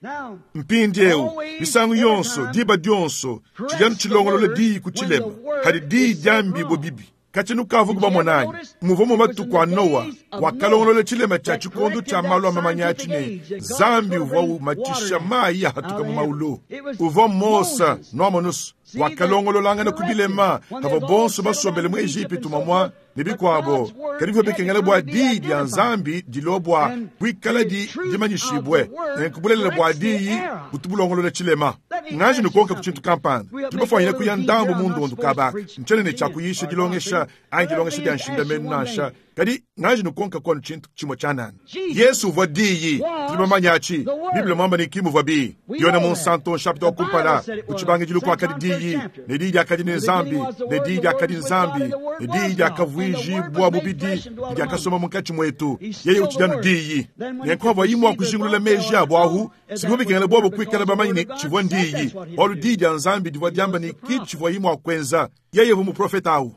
Mpindieu misangu yonso, diba dionso, tshidianu tshilongolola diyi ku tshilema, hadi diyi diambibue bibi. Katshia kavu kubamonanyi, muvua mu matuku a Noa, wakalongolola tshilema tshia tshikondo tshia malu a mamanya atshi ne Nzambi uvua umatshisha mayi ahatuka mu maulu. Uvua Mose, nwamonu, wakalongololangana ku bilema havua bonso basombele mu Ejipitu mamua ne bikuabo. Kadi bivua bikengela bua diyi dia Nzambi dilua bua kuikala di dimanyishibue, nenku bulelela bua diyi butu bulongolola tshilema. Nganji nukonka ku tshintu kampanda, tudi bafuanyina kuya ndambu mu ndondu kabaka, ntshiena ne tshia kuyisha dilongesha anyi dilongesha dia nshindamenu nansha. Kadi nganji nukonka kwanu tshintu tshimue tshianana. Yesu uvua diyi, tudi bamanya atshi. Bible mwamba ne kimuvua bi. Yona mu Nsanto chapitre wa kumpala, ku tshibangidilu kuakadi diyi, ne diyi diakadi ne Nzambi, ne diyi diakadi Nzambi, ne diyi diakavuijibua mubidi, diakasoma munkatshi muetu. Yeye utshidi anu diyi. Nenku havua imua kujingulula meji abo ahu, sivua bikengela bobo kuikala bamanye ne tshivua ndiyi. Bualu diyi dia Nzambi divua diamba ne ki tshivua imua kuenza. Yeye uvua muprofeta awu.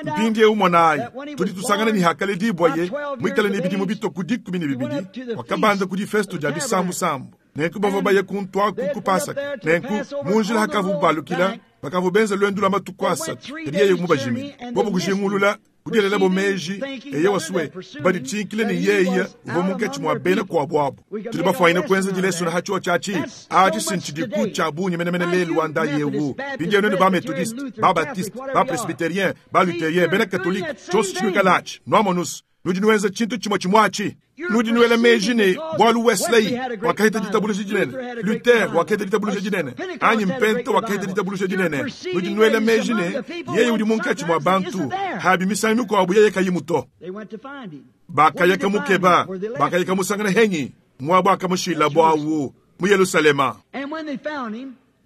Mpindieu monayi, tudi tusangana ne hakaledibwaye muikale ne bidimu bitue dikumi ne bibidi, wakabanda ku difesto dia bisambusambu. Nenku bavua baye kuntwaku ku Pasaka. Nenku mu njila hakavu balukila, bakavua benza lwendo lwa matuku asatu, kadi yeye mubajimine. Bobo kujingulula kudielela bo meji, eye wasue baditshinkile ne yeye uvua munkatshi mua bena kuabu abu. Tudi bafuanyine kuenza dilesona ha tshio tshiatshi atshi si ntshidiku tshia bungi menemene lelu wa nda yewu. Mpindieu nenu ba methodiste, ba baptiste, ba presbytérien, ba luthérien, bena katolike, tshionso tshinuikala atshi, nwamonusu, nudi nuenza tshintu tshimue tshimue atshi. Nudi nuela meji ne bualu Wesley wakahita ditabuluja dinene, Luther wakahita ditabuluja dinene, anyi Mpente wakahita ditabuluja dinene. Nudi nuela meji ne yeye udi munkatshi mua bantu, habi misangu mikuabu yeye kayimu to. Bakayaka mukeba, bakayaka musangana henyi, muabu akamushila buawu mu Yerusalema.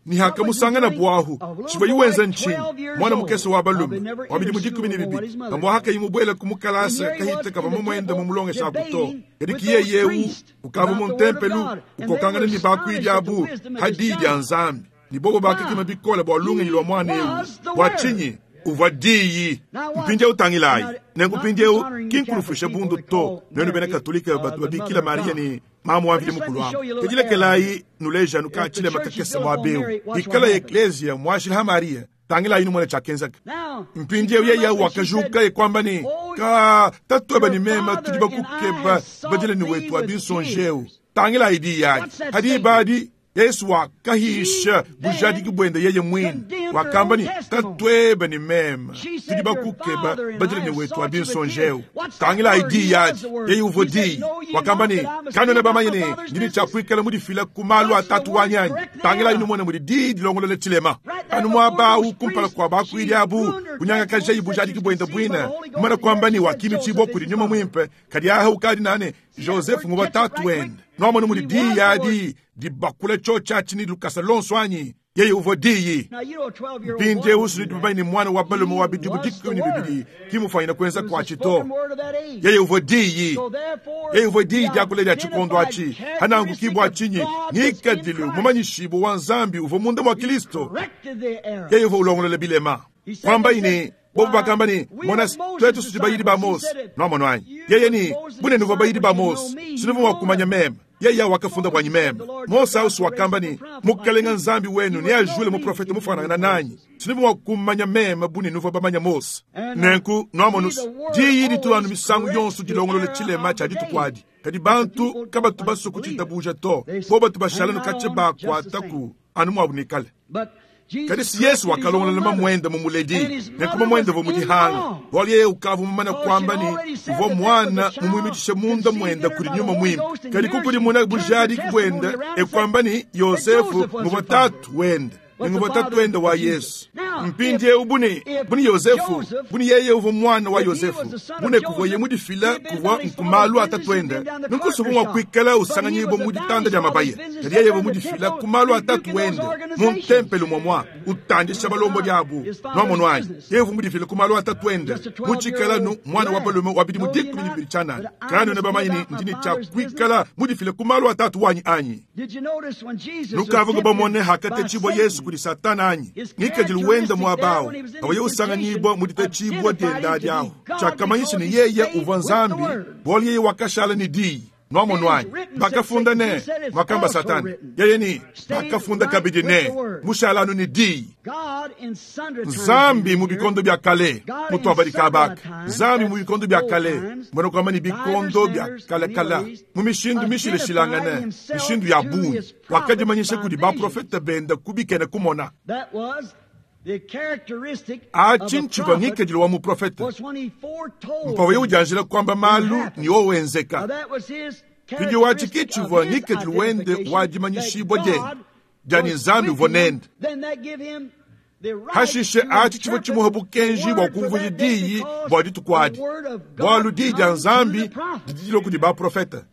Ni hakamusangana buahu, tshivua yuwenza ntshinyi, mwana mukese wa balume, wa bidimu dikumi ne bibidi, pamua hakayimu buela ku mukalasa kahita kava mumuenda mu mulongesha aku to. Kadi ki yeye ewu, ukava mu ntempelu, ukokangana ne bakuidi abu, hadiyi dia Nzambi. Ni bobo bakakema bikole bua lungenyi lua mwana ewu. Bua tshinyi? Uvua diyi. Mpindieu utangilayi. Nenku mpindieu ki nkulufusha bundu to. Nenu bena Katolika batu babikila Maria ne mamu wa mvidi mukulu abu. Kadi nuleja nuka tshilema kakese mua beu. Ikala eklesia muashila ha Maria. Tangilayi numona tshiakenzeka. Mpindieu yeye wakajuka ekwamba ne ka tatueba ne mema tudi bakukeba badile ne wetu abinsonjeu. Tangilayi diyi adi. Hadi badi Yesu wakahisha bujadiki bwende yeye mwine. Wakamba ne tatueba ne mema tudi bakukeba badile ne wetu abinsonjeu. Tangilayi diyi adi. Yeye uvua diyi. Wakamba ne kanone bamanye ne ndini tshiakuikala mudifila ku malu atatu wanyanyi. Tangilayi numone mudi diyi dilongolola tshilema. Anu muaba kumpala kua bakuidi abu kunyangakaja bujadiki bwende bwine. Mwana kwamba ni wakimichibwa kudi nyuma mwimpe kadi aha ukadi nane Joseph nguba tatu wende. Nwamone mudi diyi adi dibakula tshio tshiatshi ni lukasa lonso anyi. Yeye uvua diyi. Mpindieu sudi babayi ne mwana wa balume wa bidimu dikumi ne bibidi kimufanyina kuenza kuatshi to. Yeye uvua diyi. Yeye uvua diyi diakula dia tshikondo atshi. Hanangu kibwa tshinyi ngikadilu mumanyishibu wa Nzambi uvua munda mwa Kristo. Yeye uvua ulongolola bilema. Kwamba ine bobo bakamba ne mona twetu sudi bayidi ba Mose. Nwamonu anyi. Yeye ni bunene uvua bayidi ba Mose. Sinuvu wa kumanya meme. Yeye wakafunda bwanyi meme. Mose ausu wakamba ne mukalenga Nzambi wenu ne ajule muprofeta mufanangana nanyi. Sinuvu wa kumanya meme bunene uvua bamanya Mose. Nenku nwamonu diyi ditu anu misangu yonso dilongolola tshilema tshia dituku adi. Kadi bantu kabatu baso kuchitabuja to. Bo batu bashala nukache bakwataku anu mwabu nikale. Kadi si Yesu wakalongolola mamuende mumuledi nenku mamuende uvua mudihanga bualu yeye ukavua mumane kuamba ne uvua mwana mumuimitishe munda muende kudi nyuma muimpe. Kadi kukudimuna bujadiki buende ekuamba ne Yosefu muvua tatu wende nguvua tatu wende wa Yesu. Mpindieu bune bune Yosefu bune yeye uvua mwana wa Yosefu bune kuvua ye mudifila kuvua nkumalu a tatu wende nunku mwa kuikala usanganyibwa mu ditanda dia mabaya. Kadi yeye uvua mudifila ku malu a tatu wende mu ntempelo mwamwa utandisha balombo diabu nwamono anyi. Yeye uvua mudifila ku malu a tatu wende mutshikala nu mwana wa balume wa bidimu dikumi ne bibili tshianana. Kanu ne bamanyi ne ndini tshia kuikala mudifila ku malu a tatu wanyi anyi. Nukavua bamone hakatetshibua Yesu kudi Satana anyi ngikadilu wenda mwabawo awaye usanganyibwa muditetshibwa dienda diawo tshiakamanyisha ne yeye uvua Nzambi bualu yeye wakashala ne diyi nwamono anyi. Bakafunda ne mwakamba Satana yeye ni bakafunda kabidi ne mushalanu ne diyi. Nzambi mu bikondo bya kale mutu kabaka Nzambi mu bikondo bya kale mbona kwamba ni bikondo bya kalakala mu mishindu mishileshilangane mishindu ya bungi wakadimanyisha kudi baprofeta benda kubikene kumona. Achi nchivua ngikadilu wa muprofeta mpawe ujanjila kwamba malu ni owenzeka. Pindi wachi kichivua ngikadilu wende wajimanyishibwa je jani Nzambi uvua nende. Hashishe achi chivua chimuha bukenji bwa kumvuja diyi bwa dituku adi bualu diyi dia Nzambi didilo kudi baprofeta.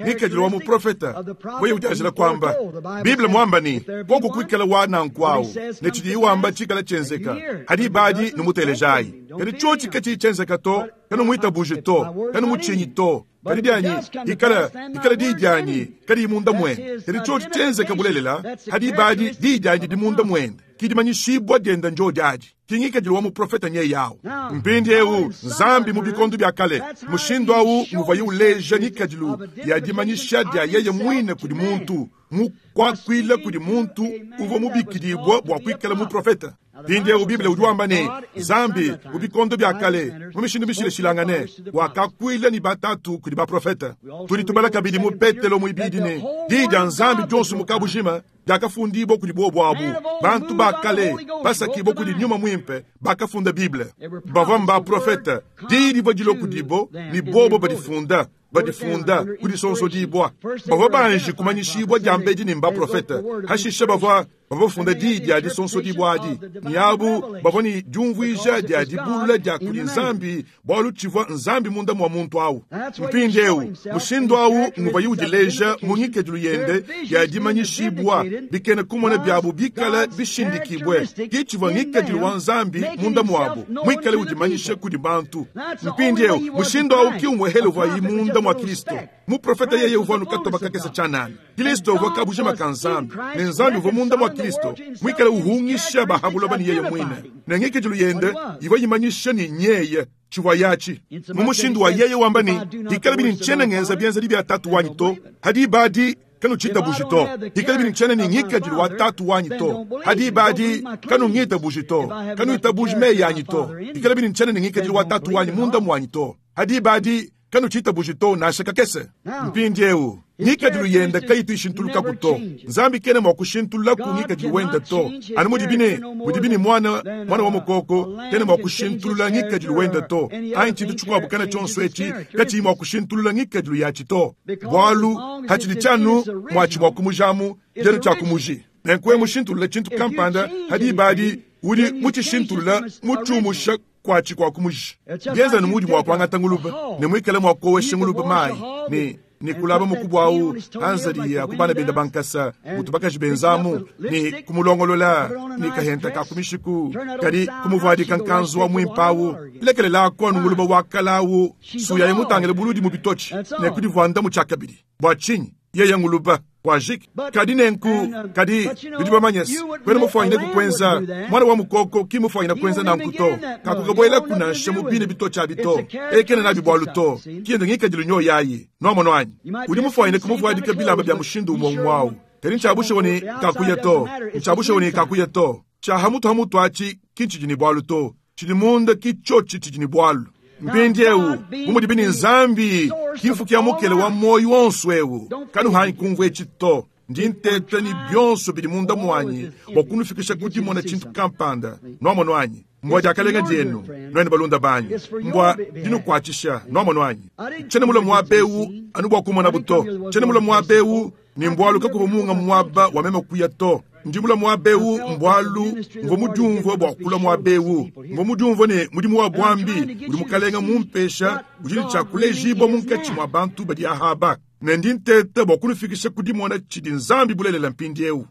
Ngikadilu wa muprofeta weye ujanjila kwamba Biblia mwamba ni koko kuikala wana nkwawu ne tshidi wamba tshikala tshenzeka hadi badi numutelejayi. Kadi tshotshi katshi tshenzeka to kanu muitabuje to kanu mutshinyi to kadi dianyi ikala ikala diyi dianyi kadi munda mwende. Kadi tshotshi tshenzeka bulelela hadi badi diyi dianyi di munda mwende kidimanyishibwa dienda njo diadi kingikadilu wa muprofeta nye yawo. Mpindieu Nzambi mu bikondo bya kale mushindu awu muvaye uleja ngikadilu ya dimanyisha dia yeye mwine kudi muntu mukwakwila kudi muntu uvua mubikidibwa bua kuikala muprofeta. Mpindieu Biblia udi wamba ne Nzambi mu bikondo bya kale mu mishindu mishileshilangane wakakwila ni batatu kudi baprofeta. Tudi tubala kabidi mu Petelo muibidi ne diyi dia Nzambi dionso mu kabujima diakafundibwa kudi bobo abu bantu bakale basakibwa kudi nyuma mwimpe bakafunda Bible. Bavua mbaprofeta diyi divua dilo kudibo ni bobo badifunda badifunda kudi sonsodibwa. Bavua banji kumanyishibwa dia mbedi ni mbaprofeta hashishe bavua bavua diyi dia disonsodibwa adi ni abu bavua ni diumvuija dia dibulula dia kudi Nzambi bualu tshivua Nzambi munda mwa muntu awu. Mpindieu mushindu awu nguvaye udileja mu ngikadilu yende ya dimanyishibwa bikene kumona byabu bikala bishindikibwe kitshivua ngikadilu wa Nzambi munda mwabu mwikale udimanyisha kudi bantu. Mpindieu mushindu awu kiumwehele uvayi munda mwa Kristo. Muprofeta yeye uvua nukatoba kakesa tshianana. Kristo uvua kabujima ka Nzambi ne Nzambi uvua munda mwa Kristo mwikale uhungisha bahabuloba ni yeye mwine ne ngikadilu yende ivua yimanyisha ni nyeye tshivua yachi mu mushindu wa yeye wamba ni ikala bini ntshiena ngenza bienzedi bia tatu wanyi to hadi badi kanu tshitabuji to ikala bini ntshiena ni ngikadilu wa tatu wanyi to hadi badi kanu ngitabuji to kanu itabuji meyi yanyi to ikala bini ntshiena ni ngikadilu wa tatu wanyi munda mwanyi to hadi badi kanu tshitabuji to nasha kakese. Mpindieu ngikadilu yende kayituishintuluka to Nzambi kene mwa kushintulula ku ngikadilu wende to anu mudibine mudibine mwana mwana wa mukoko kene mwa kushintulula ngikadilu wende to anyi tshintu tshikuabu kana tshionso etshi katshiyi mwa kushintulula ngikadilu yatshi to bualu hatshidi tshianu mwatshi mwa kumujamu dienu tshia kumuji nenkuwe mushintulula tshintu kampanda hadi badi udi mutshishintulula mutshiumusha kwatshi kwa kumuji. Bienza ni mudi mwa kuangata nguluba ne mwikale mwa kuowesha nguluba mayi ne ni kulaba mukubwa awu anzali ya kubana benda bankasa mutubakaji benzamu ni kumulongolola ni kahenta ka kumishiku kadi kumuvwadika nkanzu wa mwimpawu lekelela kwanu nguluba wakalawu suya yemutangele buludi mu bitochi ne kudivwanda mu tshakabidi bwa tshinyi yeye nguluba wajiki kadi nenku kadi bidi bamanyesi kwena mufwanyine kukwenza mwana wa mukoko kimufwanyine kukwenza nanku to kakukabwela kunansha mubine bitochi abi to ekene nabi bwalu to kiyende ngikadilu nyo yayi nwamono anyi udi mufwanyine kumuvwadika bilamba bya mushindu umwe mwawu kadi nchabushe kakuya to nchabushe kakuya to chahamutu hamutu achi kinchijini bwalu to chidi munda kichochi chijini bwalu. Mpindieu bumudi bini Nzambi kimfukia mukele wa moyo wonso ewu kanu hanyi kumvwe tshito Ndi nteta ne bionso bidi munda muanyi bua kunufikisha ku dimona tshintu kampanda. Nuamonu anyi? Mbua diakalenga dienu, nuenu balunda banyi. Mbua dinukuatshisha, nuamonu anyi? Tshiena mulue muaba eu anu bua kumona to. Tshiena mulue muaba eu ne mbualu kakuvua munga muaba wa meme kuya to. Ndi mulue muaba eu mbualu mvua mudiumvue bua kulua muaba eu. Mvua mudiumvue ne mudimu wa buambi udi mukalenga mumpesha udi ne tshia kulejibua munkatshi mua bantu badi ahaba. Ne ndi nteta bua kunufikisha ku dimona tshidi Nzambi bulelela mpindieu.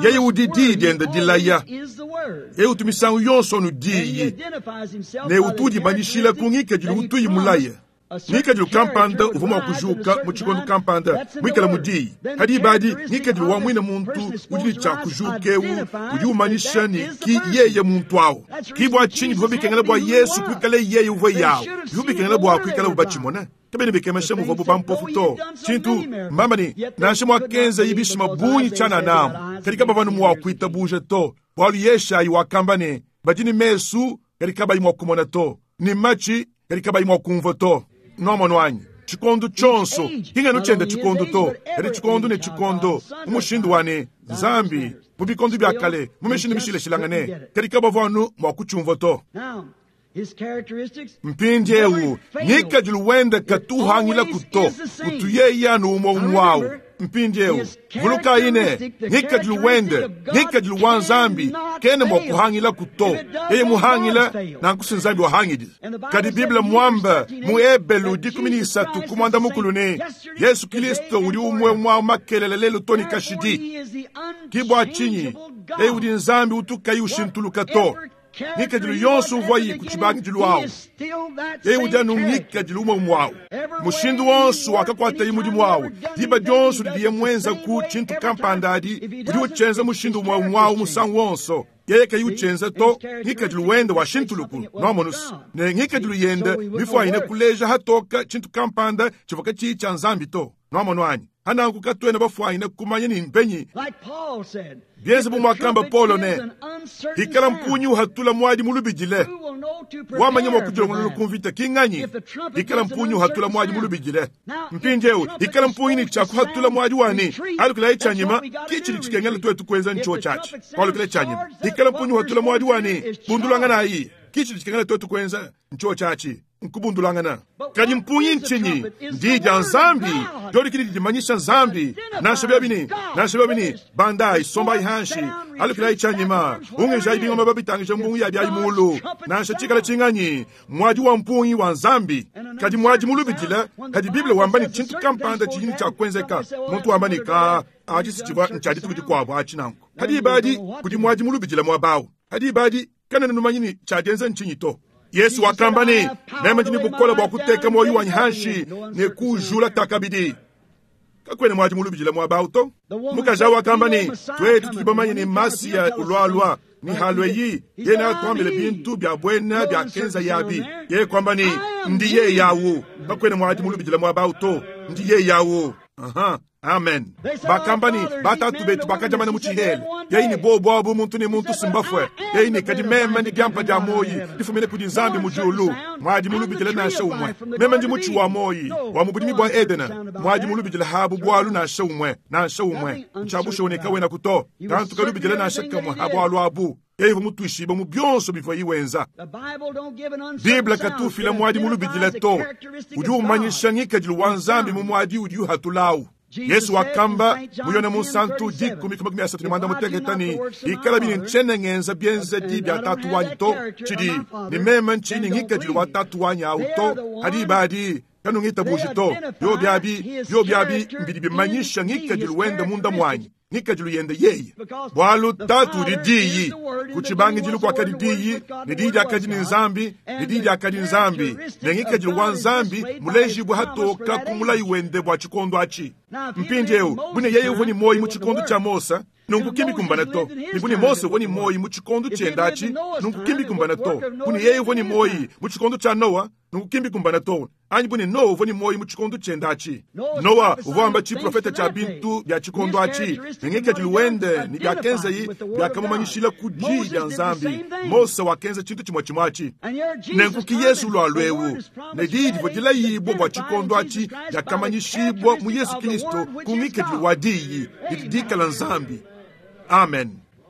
Yeye udi diyi diende dilaya. Yeye utu misangu yonso anu diyi. Ne utu udimanyishila ku ngikadilu utuyi mulaye. Ngikadilu kampanda uvua mua kujuka mu tshikondo kampanda muikale mu diyi. Kadi ibadi ngikadilu wa muine muntu udi ne tshia kujuka eu udi umanyisha ne ki yeye muntu awu. Ki bua tshinyi bivua bikengela bua Yesu kuikale yeye uvua yawu. Bivua bikengela bua kuikala batshimone. Kabena bikemesha muvuabu bampofu to. Tshintu mbamba ne nansha muakenza bishima bungi tshiananamu. Kadi kabavua mua kuitabuja to. Bualu Yeshayi wakamba ne badi ne mesu kadi kabayi mua kumona to, ne matshi kadi kabayi mua kumvua to. Nuamonu anyi? Tshikondo tshionso kingano tshiende tshikondo to, kadi tshikondo ne tshikondo mu mushindu wa ne Nzambi mu bikondo bia kale mu mishindu mishilashilangane, kadi kabavua anu mua kutshiumvua to. Mpindieu ngikadilu wende katuhangila kuto, kutu yeye anu umwe umwawu. Mpindieu vulukayi ne ngikadilu wende ngikadilu wa Nzambi kene mua kuhangila kuto. Yeye muhangila nankusi Nzambi wahangidi. Kadi Biblia mwamba mu Ebelu dikumi ni isatu kumwanda mukulu ne Yesu Kristo udi umwe mwa makelele lelu toni kashidi. Ki bua tshinyi yeye udi Nzambi utukayi ushintuluka to. Ngikadilu yonso uvuayi ku tshibangidilu awu. Yeye udi anu ngikadilu umwe mwawu. Mushindu wonso wakakuatayi mudimu awu. Diba dionso didiye mwenza ku tshintu kampanda adi, udi utshienza mushindu umwe mwawu musangu wonso. Yeye kayi utshienza to, ngikadilu wende wa shintuluku nuamonusu. Ne ngikadilu yende mifuanyine kuleja hatoka tshintu kampanda tshivua katshiyi tshia Nzambi to. Nuamonu anyi? Hananku katuena bafuanyine kumanya ni mpenyi. Bienze bu muakamba Paulo ne hikala mpunyi uhatula mwadi mulubidile. Wamanya mua kudilongolola ku mvita kinganyi? Hikala mpunyi uhatula mwadi mulubidile. Mpindieu hikala mpunyi ni tshia kuhatula mwadi wani alukila tshianyima kichili tshikengela twetu kuenza ncho tshatshi. Alukila tshianyima. Hikala mpunyi uhatula mwadi wani bundulangana ayi kichili tshikengela twetu kuenza ncho tshatshi. Nkubundulangana. Kadi mpunyi ntshinyi? Ndi dia Nzambi. Dodi kidi dimanyisha Nzambi. Nansha byabini, nansha byabini, bandai sombai hanshi, alukila tshianyima, ungeja ibingoma babitangisha mbungu ya bya imulu. Nansha tshikala tshinganyi, mwadi wa mpunyi wa Nzambi. Kadi mwadi mulubidila, kadi Biblia wamba ni tshintu kampanda tshini tshia kuenzeka. Muntu wamba ni ka aji sichibwa nchadi tukudi kwabo achinango. Kadi ibadi kudi mwadi mulubidila mwabawu. Kadi ibadi kana numanyi ni tshiadenza ntshinyi to. Yesu wakamba ne meme ndi bukola bua kuteka moyo wanyi hanshi ne kujula takabidi. Kakwene mwadi mulubidila mwabawu to. Mukaja wakamba ne twetu tudibamanye ne Masiya ulwalwa ni halweyi yena akwambile bintu bya bwena bya kenza yabi. Ye kwamba ni ndiye yawu. Kakwene mwadi mulubidila mwabawu to. Ndiye yawu. Aha. Amen. Bakamba ni batatu betu bakajamana mu tshihele. Yeye ni bobo abu muntu ni muntu simbafwe. Yeye ni kadi meme ni diampa dia moyi difumine kudi Nzambi mu julu. Mwadi mulubidila nansha umwe. Meme ndi mutshi wa moyi wa mu budimi bua Edena. Mwadi mulubidila habu bwalu nansha umwe, nansha umwe. Nchabusha oneka wena kuto. Kantu kalubidila nansha kamwe habwalu abu. Yeye mutwishiba mu byonso bivua iwenza. Biblia katufila mwadi mulubidila to. Udi umanyisha ngikadilu wa Nzambi mu mwadi udi uhatulawu. Yesu wakamba muyone munsantu dikumi kuma asatu ne mwanda muteketa ni ikala bini nchene ngenza byenze di bya tatu wanyi to chidi ni meme nchini ngikadilu wa tatu wanyi awu to hadi ibadi kanu ngitabuji to yo byabi yo byabi mbidi bimanyisha ngikadilu wende munda mwanyi ngikadilu yende yeye bwalu tatu udi diyi kuchibangidilu kwakadi diyi ne diyi diakadi ni Nzambi ne diyi diakadi Nzambi ne ngikadilu wa Nzambi mulejibwe hatoka kumulayi wende bwa tshikondo atshi. Mpindieu bune yeye uvua ni moyi mu tshikondo tshia Mosa nunku kimbi kumbana to. Ni bune Mose uvua ni moyi mu tshikondo tshienda atshi nunku kimbi kumbana to. Bune yeye uvua ni moyi mu tshikondo tshia Noa nunku kimbi kumbana to. Anyi bune Noa uvua ni moyi mu tshikondo tshienda atshi. Noa uvua amba tshiprofeta tshia bintu bya tshikondo atshi ne ngikadilu wende ni byakenzayi byakamumanyishila ku diyi dia Nzambi. Mose wakenza tshintu tshimue tshimue atshi. Nenku ki Yesu lwa lwewu ne diyi divua dilayibwa bua tshikondo atshi diakamanyishibwa mu Yesu Kristo. Kilisto ku ngikadilu wa diyi didi dikala Nzambi. Amen.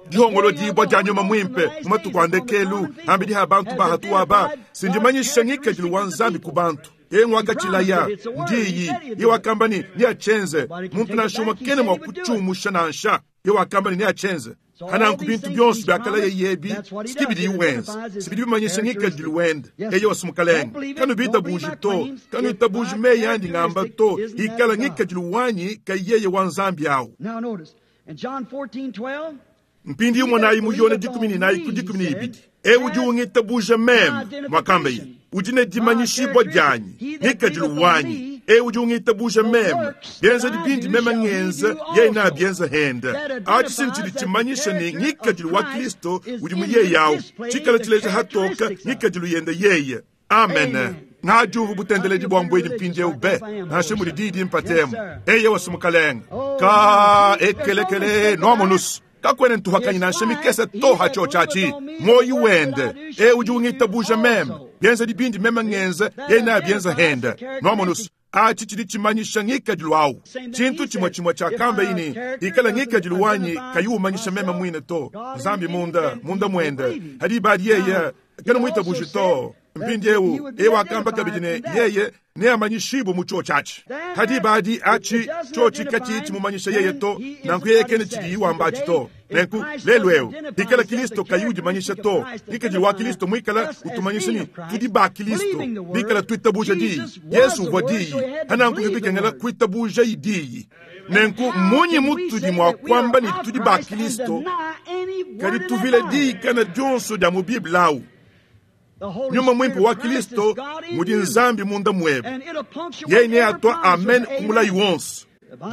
Dihongolodibua dia nyuma mwimpe mu matuku a ndekelu ambidi ha bantu bahatuwa ba sindimanyisha ngikadilu wa Nzambi ku bantu. Ye wakatshilaya ndiyi ye wakamba ni niachenze muntu nansha umwe kene mwa kutshumusha nansha ye wakamba ni niachenze hananku bintu byonso byakala yeyebi sikibidi iwenza sibidi bimanyisha ngikadilu wende eye wasumukalenga kanu bitabuji to kanu itabuji meyi andi ngamba to ikala ngikadilu wanyi kayeye wa Nzambi awu. Mpindi umwanayi muyone dikumi ni nayi ku dikumi ni ibidi ewu udi ungitabuja meme mwakamba yi udi ne dimanyishibwa dyanyi ngikadilu wanyi ewu udi ungitabuja meme byenza dibindi meme ngenza yeye na byenza henda achi sini chidi chimanyisha ni ngikadilu wa Kristo udi muye yawu chikala chileja hatoka ngikadilu yende yeye. Amen. Ngajuvu butendeledi bwa mbweni mpindi ewu be nashe muli didi mpatemu eye wasumukalenga ka ekelekele noamonusu kakwene ntuhakanyi nansha mikese toha cho chachi moyi wende e udi ungitabuja meme byenza dibindi meme ngenza ye na byenza henda noamonusu achi chidi chimanyisha ngikadilu awu chintu chimwe chimwe chakamba ini ikala ngikadilu wanyi kayiwumanyisha meme mwine to Nzambi munda munda mwende hadi badi yeye kana mwitabuji to mpindi ewu ewu akamba kabidi ne yeye neamanyishibu mu cho chachi hadi badi achi chochi kachi chimumanyisha yeye to nanku yeye kene chidi iwamba achi to nenku lelu ewu ikala Kristo kayiudimanyisha to ngikadilu wa Kristo mwikala utumanyisha ni tudi ba Kristo bikala tuitabuja diyi Yesu uvua diyi hananku bibikengela kuitabuja idiyi nenku munyi mutudi mwa kwamba ni tudi ba Kristo kadi tuvile diyi kana dyonso dya mu Biblia awu. Nyuma mwimpe wa Kristo mudi Nzambi munda mwebe yeye ne atwa amen kumulayi wonso.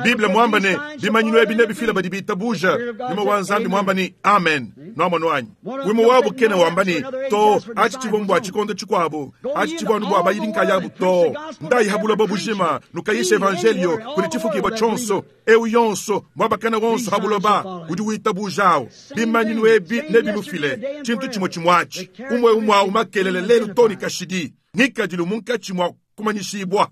Biblia mwamba ne bimanyinu ebi nebifila badi bitabuja nyuma wa Nzambi mwamba ni amen noamono anyi wimo wabu kene wamba ni to achi chivombo achikondo chikwabo achi chivonu bwa bayidi nkayabu to ndayihabula bobujima nukayisha evangelio kuli chifukibwa chonso ewu yonso mwabakana wonso habuloba udi witabujawo bimanyinu ebi nebimufile chintu chimwe chimwachi umwe umwe umakelele lelu toni kashidi ngikadilu munkachi mwa kumanyishibwa.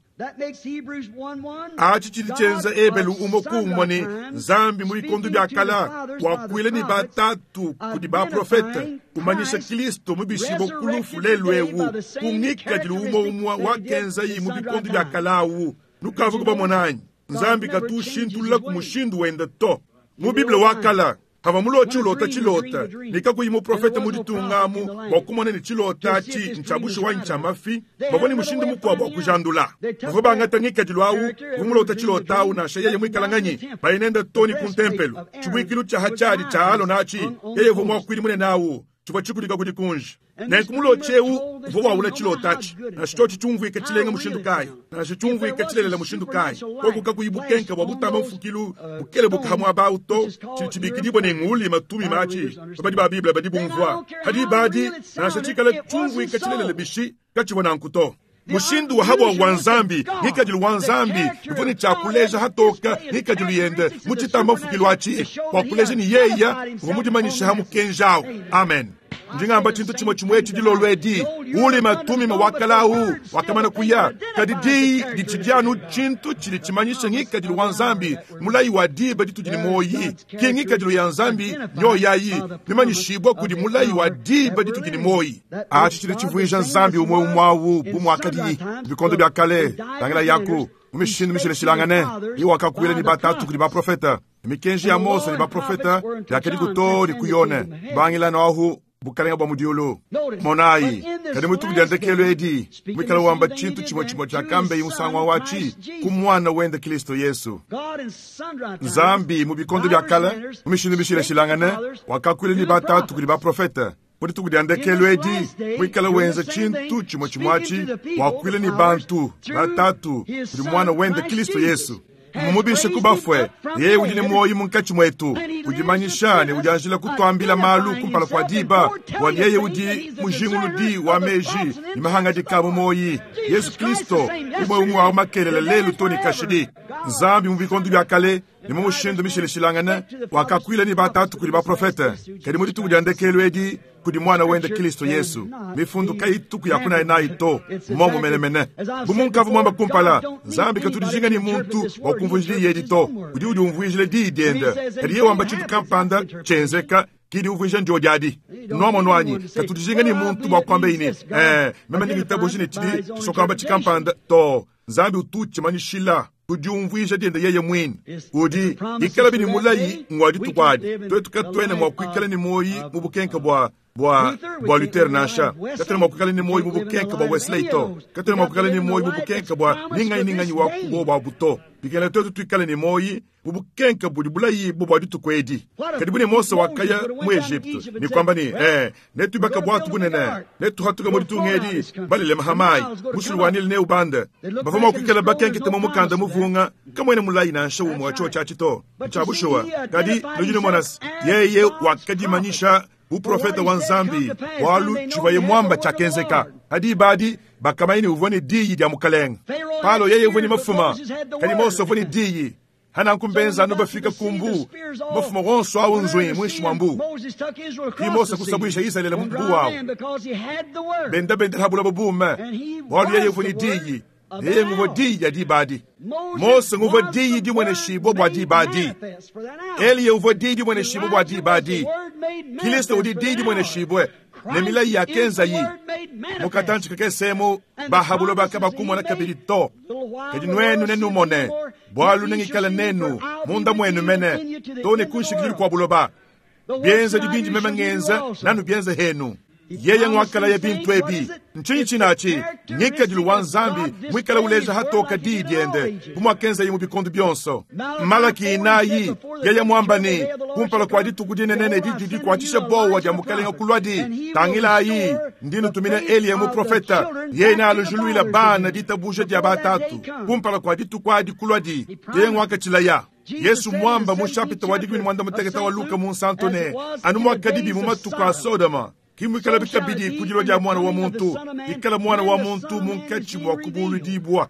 Achi chili chenza ebelu umo kumwa ni Nzambi muikondo byakala wakwile ni batatu kudi ba profeta kumanyisha Kristo mubishibo kulufu lelu ewu kungikadilu umo umwa wakenza yi mubikondo byakalawu nukavu kubamonanyi Nzambi katushintulula kumushindu wenda to mu Biblia wakala hava mulochi ulota chilota nikakuyi muprofeta muditungamu wakumona ni chilota chi nchabushi wa nchamafi bavoni mushindu mukwabo wakujandula bavo bangata ngikadilu awu vumulota chilota awu nasha yeye mwikalanganyi bayinenda toni kuntempelu chibwikilu cha hachali cha alo nachi yeye vomwakwili munene awu chibwa chikulika kudi kunji nenku mulochi ewu vo wawula chilotachi nasho chochi chumvwika chilenga mushindu kayi nasho chumvwika chilelela mushindu kayi koku kakuyibukenka bwa butamba mfukilu bukele bukahamwa abawu to chili chibikidibwa ne nguli matumi machi babadi ba Biblia badi bumvwa hadi badi nasho chikala chumvwika chilelela bishi kachibwa nanku to mushindu wa habwa wa Nzambi ngikadilu wa Nzambi ivoni chakuleja hatoka ngikadilu yende muchitamba mfukilu achi wakuleja ni yeya vomudimanyisha hamukenjawo. Amen. Ndingamba chintu chimwe chimwe chidilolo edi uli matumi mawakalau wakamana kuya kadi diyi dichidyanu chintu chili chimanyisha ngikadilu wa Nzambi mulayi wa diba ditudi moyi ki ngikadilu ya Nzambi nyo yayi bimanyishibwa kudi mulayi wa diba ditudi moyi achi chili chivuija Nzambi umwe umwawu bumwakadi bikondo bya kale tangela yaku mumishindu mishileshilangane iwakakwile ni batatu kudi baprofeta mikenji ya Mose ni baprofeta yakadi kuto ni kuyone bangila ahu bukalenga bwa mudiulu monayi kadi mutuku dya ndekelo edi mwikala wamba chintu chimwe chimwe chakambe imusangwa wachi ku mwana wende Kristo Yesu. Nzambi mu bikondo bya kale mu mishindu mishileshilangane wakakwile ni batatu kudi baprofeta mudituku dya ndekelo edi mwikala wenza chintu chimwe chimwachi wakwile ni bantu batatu kudi mwana wende Kristo Yesu. Mumubishe kubafwe yeye udi ne moyi munkachi mwetu udimanyisha ne udianjila kutwambila malu kumpala kwa diba wali yeye udi mujinguludi wa meji ni mahangadika mu moyi Yesu Kristo umwe umwe wa makelele lelu toni kashidi. Nzambi mu bikondo bya kale ni mu mushindu mishileshilangane wakakwila ni batatu kuli baprofeta kadi mudituku dya ndekelo edi kudi mwana wende Kristo Yesu. Mifundu kayituku ya kuna nayi to momo menemene. Bu munkavu mwamba kumpala Nzambi katudijinga ni muntu wa kumvunjili yedi to udi udi umvunjile diyi diende kadi ye wamba tshintu kampanda chenzeka kidi uvunja njo diadi nomo nwanyi katudijinga ni muntu bwa kwamba ine eh meme ndingitabuji ne tshidi tshisokamba tshikampanda to Nzambi utuchimanyishila kudiumvuija diende yeye mwini udi ikala bini mulayi ngwadi tukwadi twetu katwene mwa kuikala ni moyi mu bukenka bwa bwa bwa Luther nansha katwene mwa kuikala ni moyi mu bukenka bwa Wesley to katwene mwa kuikala ni moyi mu bukenka bwa ninganyi ninganyi wa kubo bwa buto bikala twetu tuikala ni moyi mu bukenka budi bulayi bo bwa ditukwedi kadi bune Mose wakaya mu Egypte ni kwamba ni eh netubaka bwatu bunene netuhatuka mu ditungedi balele mahamai musulwanile ne ubanda bavoma kuikala bakenkete mu mukanda muvunga kamwene mulayi nansha umwe wa cho chito chabushuwa kadi lujino monas yeye wakadimanyisha uprofeta wa Nzambi walu chivaye mwamba chakenzeka hadi badi bakamaini uvone diyi dia mukalenga palo yeye uvone mafuma kadi Mose uvone diyi hana nkumbenza nubafika kumbu mafuma wonso awu nzwi mwishi mwa mbu ki Mose kusabwisha Israeli mu mbu wawo benda benda habula bubume walu yeye uvone diyi yeye nguvo diyi ya dibadi Mose nguvo diyi dimwene shibo bwa dibadi Eliya uvo diyi dimwene shibo bwa dibadi Kristo udi diyi dimwene shibwe ne milayi ya kenza yi mukatanchi kakesemu bahabulo bakabakumona kabili to kadi nwenu nenumone bwalu nengikala nenu munda mwenu mene to ne kunshikili kwa buloba byenza dibindi meme ngenza nanu byenza henu yeye ngwakala ya bintu ebi nchinyi chinachi ngikadilu wa Nzambi mwikala uleja hatoka diyi diende bumwakenza yi mu bikondu byonso Malaki inayi yeye mwambani kumpala kwa dituku dinenene didi dikwatisha bowa dia mukalenga kulwadi tangilayi ndinu tumina Eliya muprofeta yeye nalujuluila bana ditabuja dia batatu kumpala kwa dituku adi kulwadi yeye ngwakachilaya Yesu mwamba mu chapita wa dikumi mwanda muteketa wa Luka mu nsantone anu mwakadibi mu matuku a Sodoma kimwikala bikabidi kudilwa dia mwana wa muntu ikala mwana wa muntu munkatshi mwa kubuludibwa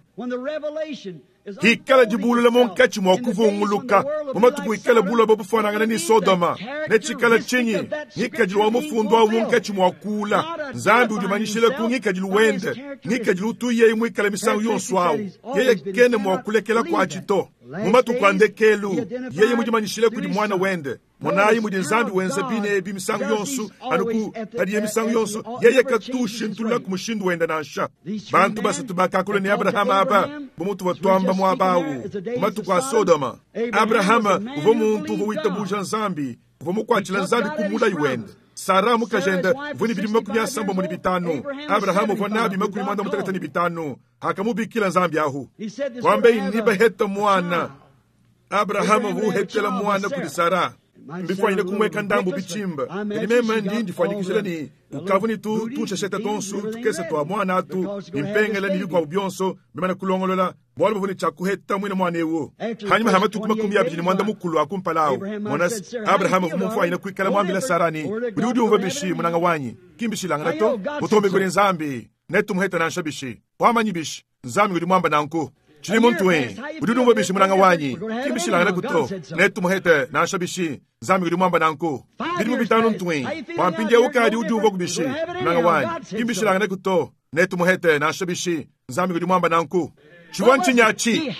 hikala dibulula munkatshi mwa kuvunguluka mu matuku ikala buloba bufanangana ni Sodoma netshikala tshinyi ngikadilu wa mufundu awu munkatshi mwa kula Nzambi udimanyishile ku ngikadilu wende ngikadilu utu yeye mwikala misangu yonso awu yeye kene mwa kulekela kwa tshito mu matuku a ndekelu yeye mudimanyishile kudi mwana wende monayi mudi Nzambi wenza bine ebi misangu yonso anuku padiye misangu yonso yeye katushintulula ku mushindu wenda nansha bantu basatu bakakula ne Abrahama aba bumutu watwamba mwabawu mu matuku a Sodoma Abrahama uvua muntu uvua witabuja Nzambi uvua mukwatshila Nzambi ku mulayi wende Sara mukajenda uvua ni bidimu makumi asamba muni bitanu Abrahama uvua nabi makumi mwanda mutakata ni bitanu akamubikila Nzambi ahu kwambe inibaheta mwana Abrahama vuhetela mwana kudi Sara mbifwanyile kumweka ndambu bichimba kadi meme ndi ndifwanyikishila ni ukavu ni tu tunshesheta tonsu tukese twa mwana atu nimpengela ni bikwabu byonso bimana kulongolola bwalu buvuni tshakuheta mwine mwana ewu hanyuma hama tuku makumi abidi ni mwanda mukulu akumpalawu monasi Abrahamu vumumfwanyile kuikala mwambila Sarani udi udiumva bishi munanga wanyi kimbishilangana to butombi kuli Nzambi netumuheta nansha bishi wamanyi bishi Nzambi udi mwamba nanku chili muntu we udi udiumva bishi munanga wanyi kimbishilangana kuto netumuhete nansha bishi Nzambi udi mwamba nanku bidimu bitanu ntwe wampindia ukadi udiumva kubishi munanga wanyi kimbishilangana kuto netumuhete nansha bishi Nzambi udi mwamba nanku chivwa nchinyachi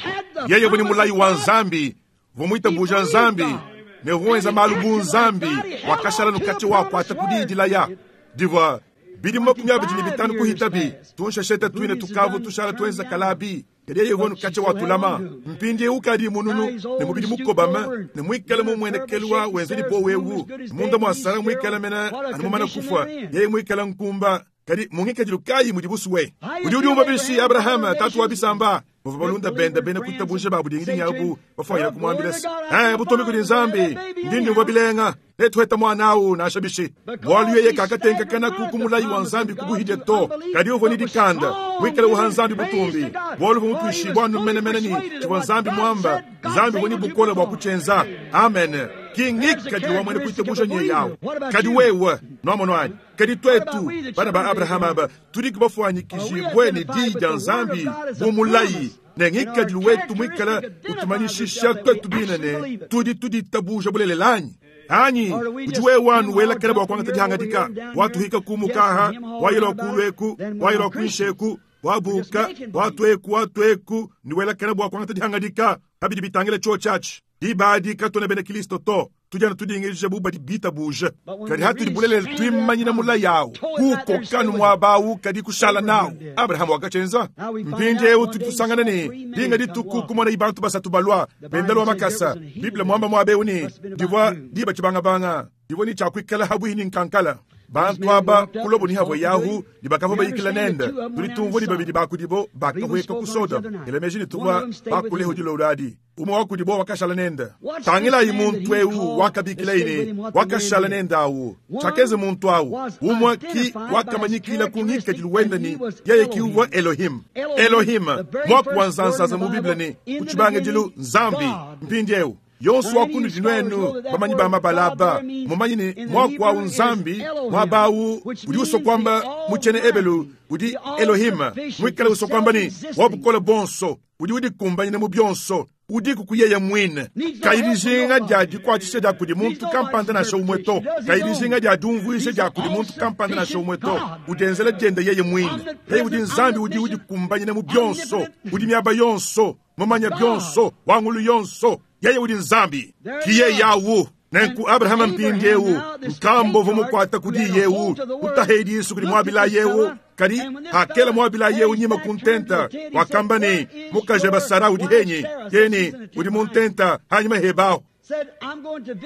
yeye vuni mulayi wa Nzambi vumwitabuja Nzambi ne huwenza malu bu Nzambi wakashala nukati wakwata kudidilaya divwa bidimu makumi abidi ni bitanu kuhitabi tunshesheta twine tukavu tushala twenza kalabi kadi yeye vonu kache watulama mpindi ukadi mununu ne mubidi mukobama ne mwikale mumwenekelwa wenzeni po wewu munda mwa Sara mwikale mena anumumana kufwa yeye mwikale nkumba kadi mungikadilu kayi mudi busuwe udi udiumva bishi Abrahama tatu wa bisamba muva balunda benda bena kuitabusha babu dingidingi abu bafwayila kumwambila eh butombi kudi Nzambi ndindi bilenga netuheta mwana awu nansha bishi bwalu yeye kakatenkakana kukumulayi wa Nzambi kubuhidya to kadi uvua ni dikanda mwikale uha Nzambi butumbi bwalu vumutwishi bwanu menemene ni chivwa Nzambi mwamba Nzambi vuni bukola bwa kuchenza amen kingikadilu wa mwene kuitabusha nye yawo kadi wewe nomonwani kadi twetu bana ba Abrahama aba tudi kubafwanyikishibwe ni diyi dia Nzambi bumulayi ne ngikadilu wetu mwikala utumanyishisha twetu binene tudi tuditabuja bulelelanyi Anyi udi wewe anu welakela bua kuangata dihangadika watuhika kumukaha wayela kulweku wayela kuisheku wabuka watweku watweku ni welakela bua kuangata dihangadika kabidi bitangile cho chachi dibadi katona bena Kristo to tujana tudingirije bubadi bita buje kadi hatudi bulelele twimanyina mula yawo kuko kanu mwabawu kadi kushala nawo Abrahamu wakachenza mpindiewu tudi tusangana ne dinga dituku kumona ibantu basatu balwa bendalwa makasa Biblia mwamba mwabewu ni divwa diba chibangabanga divwa ni chakwikala habwini nkankala bantu aba kulobo ni havo yahu dibakavo bayikila nenda tulitumvua ni babidi bakudibo bakahweka kusoda elemeji nituwa bakuleho diloladi umwe wakudibo wakashala nenda tangila imuntu eu wakabikila ine wakashala nenda awu chakeze muntu awu umwe ki wakamanyikila kungika diluwenda ni yeye kiuwa Elohim Elohim mwaku wanzanzaza mu Biblia ni kuchibanga dilu nzambi mpindi eu yonso wakundu dinwenu bamanyi ba mabalaba mumanyi ni mwaku awu nzambi mwabawu udi usokwamba muchene ebelu udi Elohim mwikala usokwamba ni wabukola bonso udi udikumbanyine mu byonso udi kukuyeye mwine kailijinga dia dikwatisha dia kudi muntu kampanda nasha umwe to kailijinga dia dumvuisha dia kudi muntu kampanda nasha umwe to udenzela dienda yeye mwine yeye udi nzambi udi udikumbanyine mu byonso udi miaba yonso mumanya byonso wangulu yonso yeye udi nzambi kiye yawu nenku Abrahama mpindi ewu nkambo vumukwata kudi yewu kutahedi Yesu kudi mwabila yewu kadi hakela mwabila yewu nyima kuntenta wakamba ni mukajeba Sara udi henyi yeni udi muntenta hanyuma hebaho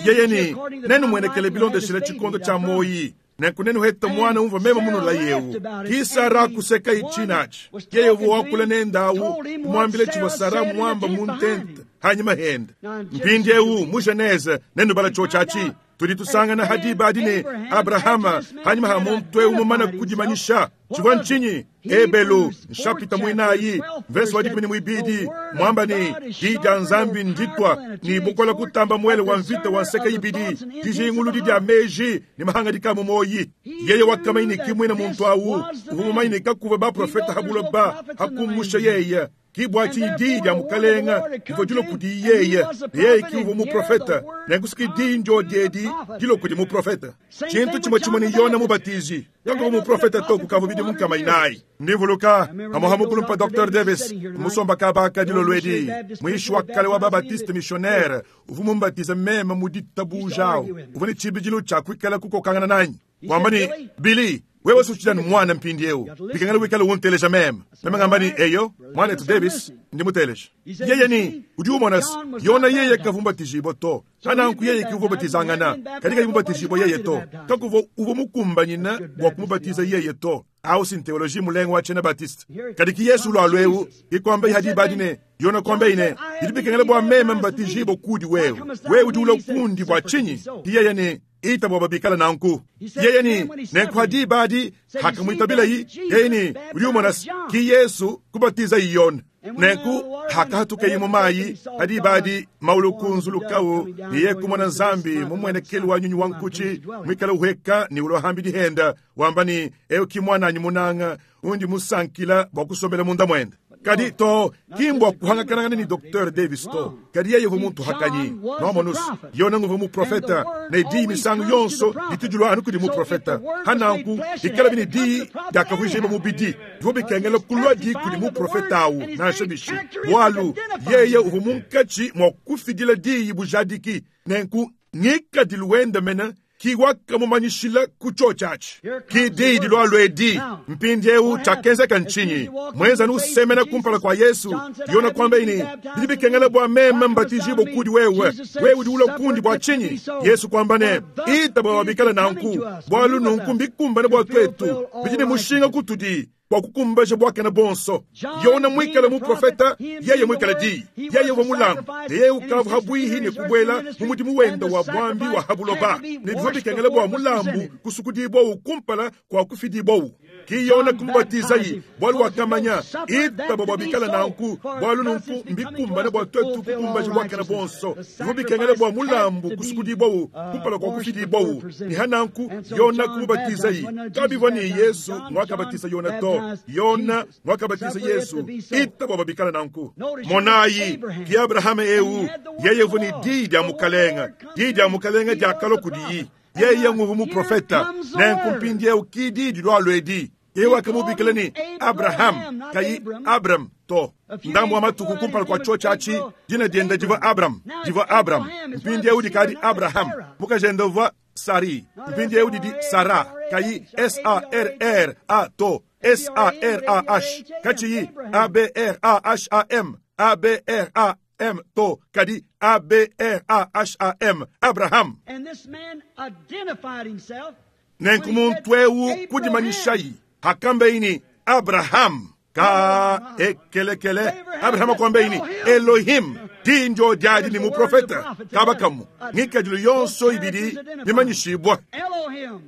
yeye ni nenu mwenekele bilondeshele chikondo cha moyi nenku nenu heta mwana umva mema muno la yewu ki Sara kuseka ichinachi yeye wakula nendawu kumwambile chivwa Sara mwamba muntenta hanyuma henda mpindi ewu mu Genese nenu bala chochachi tudi tusangana hadiba adine Abrahama hanyuma ha muntu ewu mumana kudimanyisha chivwa nchinyi Ebelu nshapita mwinayi verse wa dikumi ni mwibidi mwamba ni dija nzambi nditwa ni bukola kutamba mwele wa mvita wa nseka ibidi dijingulu dija meji ni mahanga dikamu moyi yeye wakamaini kimwina muntu awu uvumumaini kakuva ba profeta habulo ba hakumusha yeye kibwachi di dia mukalenga ivo dilo kudi yeye yeye kiuvo muprofeta nenkusiki di njo diedi dilo kudi muprofeta chintu chimwe chimwe ni Yona mubatizi kango muprofeta to kukavo bidi munkamainai ndivuluka amohamukulumpa Docteur Davis musomba kabaka dilo lwedi mwishi wa kale wa babatiste missionnaire uvu mumbatiza meme muditabujawo uvu ni chibijilo cha kwikala kukokangana nanyi kwamba ni Billy wewe suchidani mwana mpindi ewu bikangala wikala wunteleja meme meme ngambani eyo mwana etu Davis ndi muteleja yeye ni udi umona yona yeye kavumbatijibwa to kananku yeye kiuvobatizangana katika imubatijibwa yeye to kakuvo uvo mukumbanyina bwa kumubatiza yeye to au sin teoloji mulengo wa chena Baptiste kadiki Yesu lwalwewu ikwamba ihadibadine yona kwamba ine ilibikangala bwa meme mbatijibwa kudi wewe wewe udi ula kundi bwa chinyi yeye ni ita bwa babikala nanku yeye ni nenkuhadibadi hakamwitabilayi yeye ni udi umona ki Yesu kubatiza iyona nenku hakahatuka mu mayi hadibadi maulukunzulukawu niye kumona nzambi mumwenekeli wa nyunyu wa nkuchi mwikala uheka ni ulohambi dihenda wamba ni eyo kimwananyi munanga undi musankila bwa kusombela munda mwenda kadi to kimbwa kuhangakanangana ni Docteur Davis to kadi yeye muntu hakanyi nomonus yona nguvu mu profeta ne di misangu yonso ditujulwa anu kudi mu profeta hananku ikala bini di dakavujeba mu bidi divo bikengela kulwa di kudi mu profeta awu nansha bishi bwalu yeye uvu munkachi mwa kufidila diyi bujadiki nenku ngikadiluwenda mena kiwakamumanyishila kucho chachi kididi lwalwedi mpindi ewu chakenzeka nchinyi mwenza nusemena kumpala kwa Yesu yona kwamba ini bilibikengela bwa meme mbatijibo kudi wewe wewe udi ula kundi bwa chinyi Yesu kwamba ne ita bwa wabikala nanku bwalu nunku mbikumbana bwa twetu bidine mushinga kutudi bwa kukumbaja bwakena bonso yona mwikala muprofeta yeye mwikala di yeye wa mulangu yeye ukavu habwihi ni kubwela mumudimu wenda wa bwambi wa habuloba ni bivyo bikengela bwa mulambu kusukudibwawu kumpala kwa kufidibwawu Ki Yona kumubatizayi bwalu wakamanya itaba bwa bikala nanku bwalu nunku mbikumbane bwa twetu kukumbaja bwakana bonso bikengele bwa mulambu kusukudibwawu kumpala kwa kufidibwawu ni hananku Yona kumubatizayi kabivwa ni Yesu mwakabatiza Yona to Yona mwakabatiza Yesu itaba bwa bikala nanku monayi ki Abrahama eu yeye vuni di dia mukalenga di dia mukalenga dia kalo kudiyi yeye nguvu muprofeta nenkumpindie ukidi dilwalwedi yeye wakamubikila ni Abraham kayi Abram to ndambu wa matuku kumpala kwa cho chachi dina dienda diva Abram diva Abram mpindie udi kadi Abraham mukajenda va Sari mpindie udi di Sara kayi S A R R A to S A R A H kachiyi A B R A H A M A B R A M to kadi A B R A H A M Abraham. And this man identified himself. Nenku muntu eu kudimanyishayi hakambeini Abraham ka ekelekele Abraham akwambeini Elohim dinjo diadi ni muprofeta kabakamu ngikadilu yonso ibidi bimanyishibwa Elohim.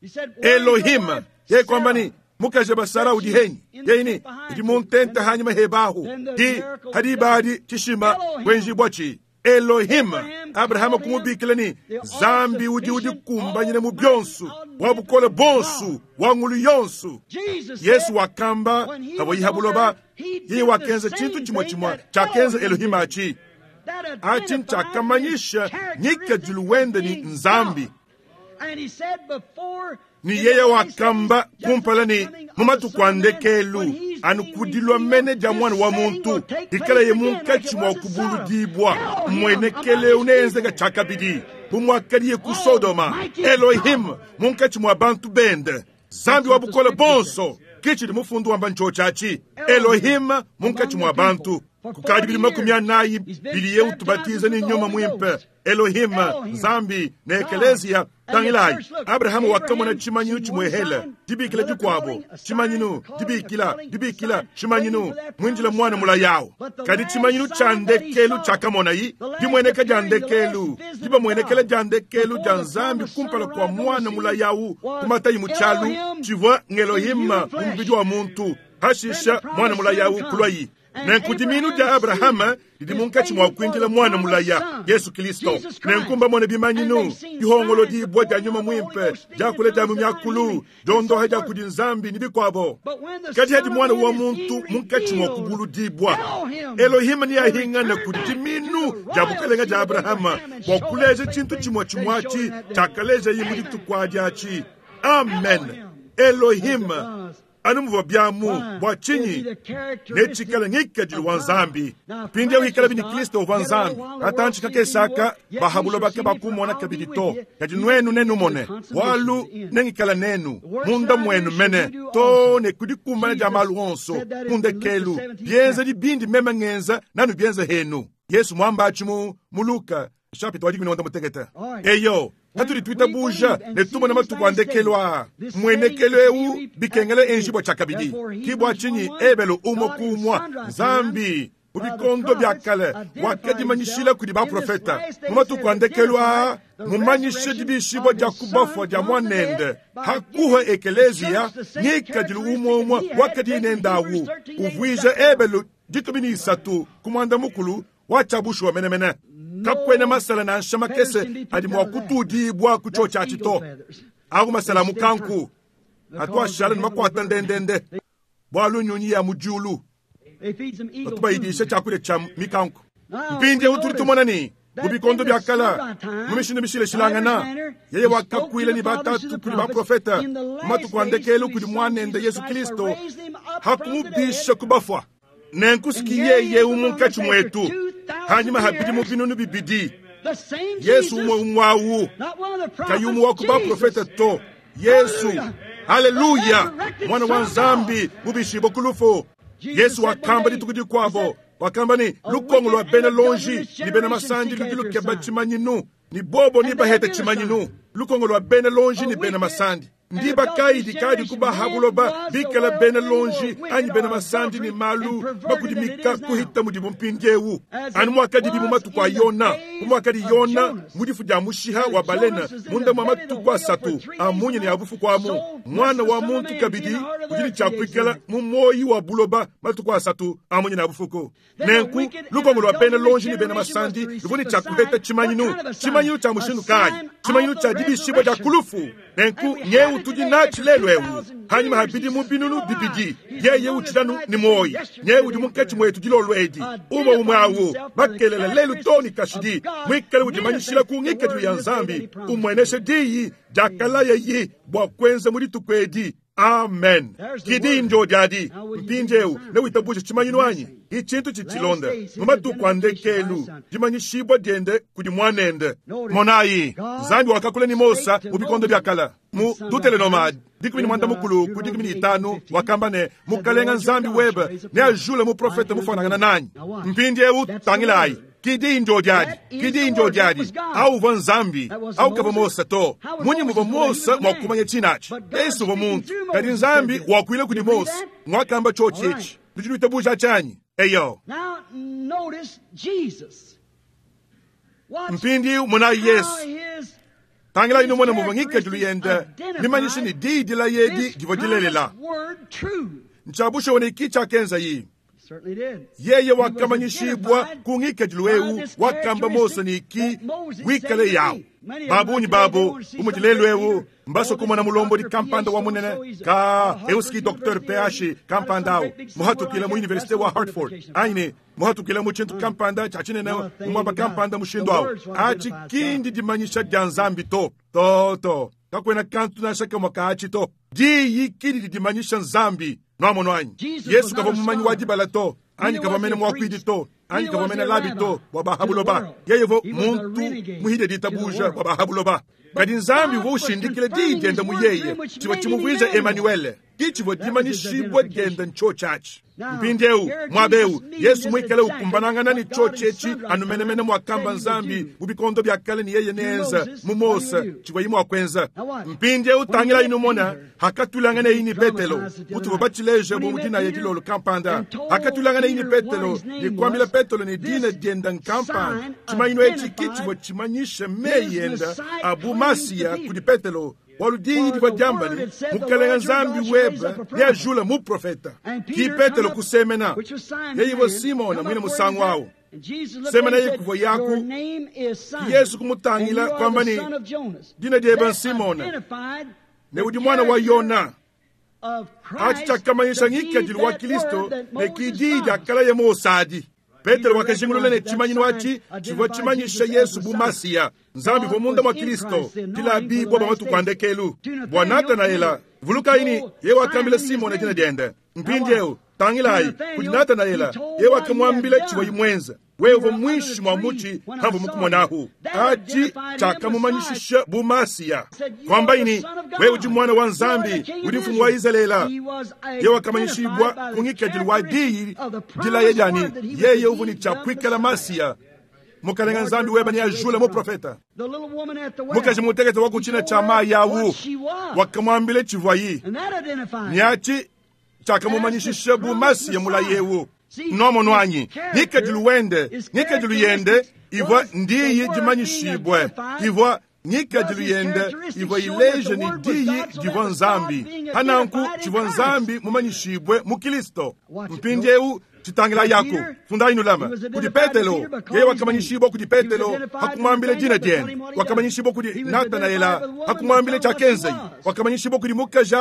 He said, Elohim ye kwambani mukaje basara udi henyi yeini idi muntenta hanyuma hebahu di hadibadi tishima kwenjibwachi Elohim Abraham kumubikila ni Zambi udi udi kumbanyine mu byonsu wabukole bonsu wangulu yonsu Yesu wakamba haboyihabuloba yeye wakenza chintu chimwe chimwe chakenza Elohim achi achi nchakamanyisha nyikadilu wende ni Nzambi ni yeye wakamba kumpala ni mumatuku andekelu anukudilwa mene dia mwana wa muntu ikala ye munkatshi mwa kubuludibwa mwenekele unenzeka chakabidi bumwakaliye ku Sodoma Elohim munkatshi mwa bantu bende Zambi wa bukola bonso kichili mufundu wamba ncho chachi Elohim munkatshi mwa bantu kukadi bili makumi anayi biliye utubatiza ni nyuma mwimpe Elohim Zambi na ekelezia tangilayi Abrahamu wakamona chimanyinu chimwehele dibikila dikwabo chimanyinu dibikila dibikila chimanyinu mwinjila mwana mula yawo kadi chimanyinu cha ndekelu chakamonayi dimweneka dia ndekelu dibamwenekela dia ndekelu dia Nzambi kumpala kwa mwana mula yawu kumatayi muchalu chivwa ng'Elohim mumubidi wa muntu hashisha mwana mula yawu kulwayi nenkudiminu dia Abrahama lidi munkatshi mwa kwinjila mwana mulaya Yesu Kristo nenkumba mone bimanyinu dihongolo dibwa dia nyuma mwimpe diakule dia mumyakulu dondohe dia kudi Nzambi ni bikwabo kadi hadi mwana wa muntu munkatshi mwa kubuludibwa Elohim ni ahingana kudiminu dia bukalenga dia Abrahama bwa kuleja chintu chimwe chimwachi chakaleja yimu dituku diachi amen Elohim anumva byamu bwa chinyi nechikala ngikadilu wa Nzambi pindi wikala bini Kristo wa Nzambi atanchi kakesaka bahabulo bake bakumona kabidi to kadi nwenu nenu mone walu nengikala nenu munda mwenu mene to ne kudikumbana dia malu onso kundekelu byenza dibindi meme ngenza nanu byenza henu Yesu mwambachi mu mu Luka chapitre wa dikumi mutekete eyo katuli twita buja ne tumona matuku andekelwa mwenekelo eu bikengele enjibwa chakabidi kibwa chinyi ebelo umo kumwa Nzambi mubikondo bya kale wakadimanyishila kudi baprofeta mumatuku andekelwa mumanyishe dibishibwa dia kubafwa dia mwanende hakuha ekelezia ngikadilu umomwa wakadinendawu uvwija ebelo dikumi ni isatu kumwanda mukulu wachabushwa menemene kakwena masala na nshama kese adi mwa kutudibwa kucho chachi to aku masala mukanku atwashala ni makwata ndendende bwalu nyunyi ya mujulu atubayidisha chakule cha mikanku mpindi utuli tumona ni mubikondo bya kala mumishindu mishile shilangana yeye wakakwile ni batatu kuli baprofeta matuku andekelu kuli mwanende Yesu Kristo hakumubisha kubafwa nenkusiki yeye umunkatshi mwetu hanyuma habidi mubinunu bibidi Yesu umwe umwawu kayumu wa kuba profeta to Yesu haleluya mwana wa Nzambi mubishibo kulufu Yesu wakamba dituku dikwabo wakamba ni lukongo lwa bena lonji ni bena masandi ludi lukeba chimanyinu ni bobo ni baheta chimanyinu lukongo lwa bena lonji ni bena masandi ndiba kaidi kadi kubahabuloba bikala bena lonji anyi bena masandi ni malu bakudimika kuhita mudimu mpindiewu anu mwakadibi mu matuku a Yona Bu muakadi Yona mu difu dia mushiha wa balena munda mua matuku asatu a munya ne a bufuku amu, mwana wa muntu kabidi udi ne tshia kuikala mu moyi wa buloba matuku asatu a munya ne a bufuku. Nenku lukongo lua bena lonji ne bena masandi luvua ne tshia kuheta tshimanyinu, tshimanyinu tshia mushindu kayi? Tshimanyinu tshia dibishibua dia kulufu. Nenku nyeu tudi natshi lelu ewu hanyuma habidi mu binunu bibidi yeye utshilanu ni moyi nyeu udi munkatshi mwetu dilolo edi umwe umwe awu makelela lelu toni kashidi mwikale udimanyishila ku ngikadilu ya Nzambi umweneshe diyi diakalaye bua kuenza mu dituku edi. Amen. Kidi njo diadi mpindieu newitabuje tshimanyinu anyi ichintu tshitshilonda mu matuku a ndekelu dimanyishibua diende kudi mwanende. Monayi Nzambi wakakula ni Mosa mu bikondo bia kala mu Deuteronome dikumi ni mwanda mukulu ku dikumi ni itanu wakamba ne mukalenga Nzambi webe neajule muprofete mufanangana nanyi. Mpindieu tangilayi kidi njo diadi kidi njo diadi au uvua Nzambi au kava Mosa to munyi muvua Mosa mwakumanya tshinachi Yesu uvua muntu kadi Nzambi wakuile kudi Mosa mwakamba chochi ichi tudi tuitabuja chanyi eyo. Mpindi munayi Yesu tangila inu mwana muvua ngikadilu yende mimanyishe ni diyi dila yedi divua dilelela nchabushe wone iki chakenza yi yeye wakamanyishibwa ku ngikadilu ewu wakamba Mose niki wikale yawu babunyi babo umudilelu ewu mbaso kumona mulombodi kampanda wa munene ka euski Docteur P H kampanda awu muhatukila mu universite wa Hartford aine muhatukila mu tshintu kampanda tshia tshinene mumwaba kampanda mushindu awu achi kindi dimanyisha dia Nzambi to to to kakwena kantu nansha kamwe kaachi to diyi kindi didimanyisha Nzambi nwamono anyi Yesu kava mumanyi wa dibala to anyi kava mene mwakwidi to anyi kava mene labi to bua bahabuloba yeye vo muntu muhide ditabuja bua bahabuloba kadi Nzambi uvua ushindikile diyi diende mu yeye tshivua tshimuvuija Emanuele ki tshivua dimanyishibua diende ntsho tshiatshi. Mpindieu muaba Yesu muikale ukumbanangana ne tsho tshietshi anumenemene mwakamba Nzambi mu bikondo bia kale ni yeye neenza mu Mose tshivua yi mwakuenza. Mpindieu tangila inu mona hakatulangana ini Petelo mutuvua batshileje bu mudina ya dilolo kampanda hakatulangana ini Petelo ni kuambila Petelo ni dina dienda nkampanda tshimanyinu etshi ki tshivua tshimanyishe meyi enda abu Masiya kudi Petelo walu diyi divua diamba ne mukalenga Nzambi webe neajule muprofeta ki Petelo kusemena yeye ivua Simona mwine musangu awu semena ye kuvua yaku Yesu kumutangila kwamba ni dina diebe Simona ne udi mwana wa Yona achi tshiakamanyisha ngikadilu wa Kristo ne ki diyi diakala ye Mose. Petero wakajingulula ne tshimanyinu atshi tshivua tshimanyisha Yesu bu Masiya Nzambi uvua munda mwa Kristo tilabibwa bua matuku a ndekelu bua Natanaela vulukayi ye wakambila Simona dina diende mpindieu tangilayi kudi Natanaela ye wakamwambila tshivua imwenza wewe uvua mwishi mwa muchi hambu mukumonahu achi tshiakamumanyishisha bu Masiya kwamba ini wewe udi mwana wa Nzambi udi mfumu wa Israela ye wakamanyishibwa ku ngikadilu wa diyi dilaye diani yeye uvua ne tshiakuikala Masiya mukalenga Nzambi weba ni ajula muprofeta mukaji mutekete wa kuchina cha mayi awu wakamwambile tshivua yi niachi tshiakamumanyishisha bu Masiya mulayewu nomo nwanyi ngikadilu wende ngikadilu yende ivua ndiyi dimanyishibwe ivua ngikadilu yende ivua ileje ni diyi divua Nzambi hananku tshivua Nzambi mumanyishibwe mu Kristo mpindieu tshitangila yako fundayi nulama kudi Petelo yeye wakamanyishibwa kudi Petelo hakumwambile dina diende wakamanyishibwa kudi Natanaela hakumwambile tshiakenzayi wakamanyishibwa kudi mukaji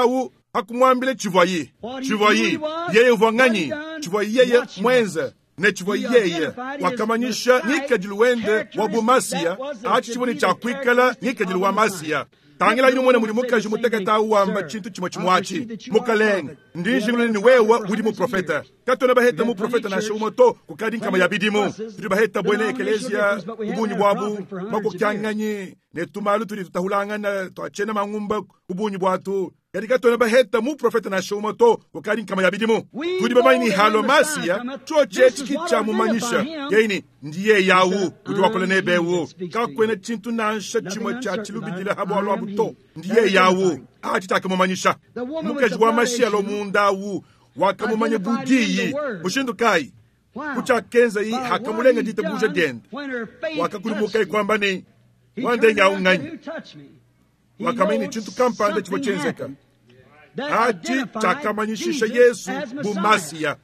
hakumwambile tshivua yi tshivua yi yeye uvua nganyi tshivua yeye mwenza ne tshivua yeye wakamanyisha ngikadilu wende wa bumasiya achi tshivua ne tshiakuikala ngikadilu wa Masiya. Tangila inu mwene mudi mukaji mutekete awu wamba tshintu tshimwe tshimwatshi mukalenga ndi njingulule ni wewe udi muprofeta katona baheta muprofeta nansha umwe to kukadi nkama ya bidimu tudi baheta bwene ekelezia kubunyi bwabu makokyanganyi ne tumalu tudi tutahulangana twachena mangumba kubunyi bwatu kadi katona baheta muprofeta nansha umwe to kukadi nkama ya bidimu tudi bamanyi ni halo Masiya cho chechi kitshamumanyisha yeini ndiye yawu udi wakola nebewu kakwena tshintu nansha tshimwe tshia tshilubidila habwalwa abu to ndiye yawu achi tshiakamumanyisha mukaji wa mashialo munda awu wakamumanya budiyi mushindu kayi Kuchakenza yi hakamulenga ditabuja diende. Wakakudimuka kwamba ni wandenga unganyi. Wakamanya chintu kampanda chivua chenzeka. Achi chakamanyishisha Yesu bu Masiya.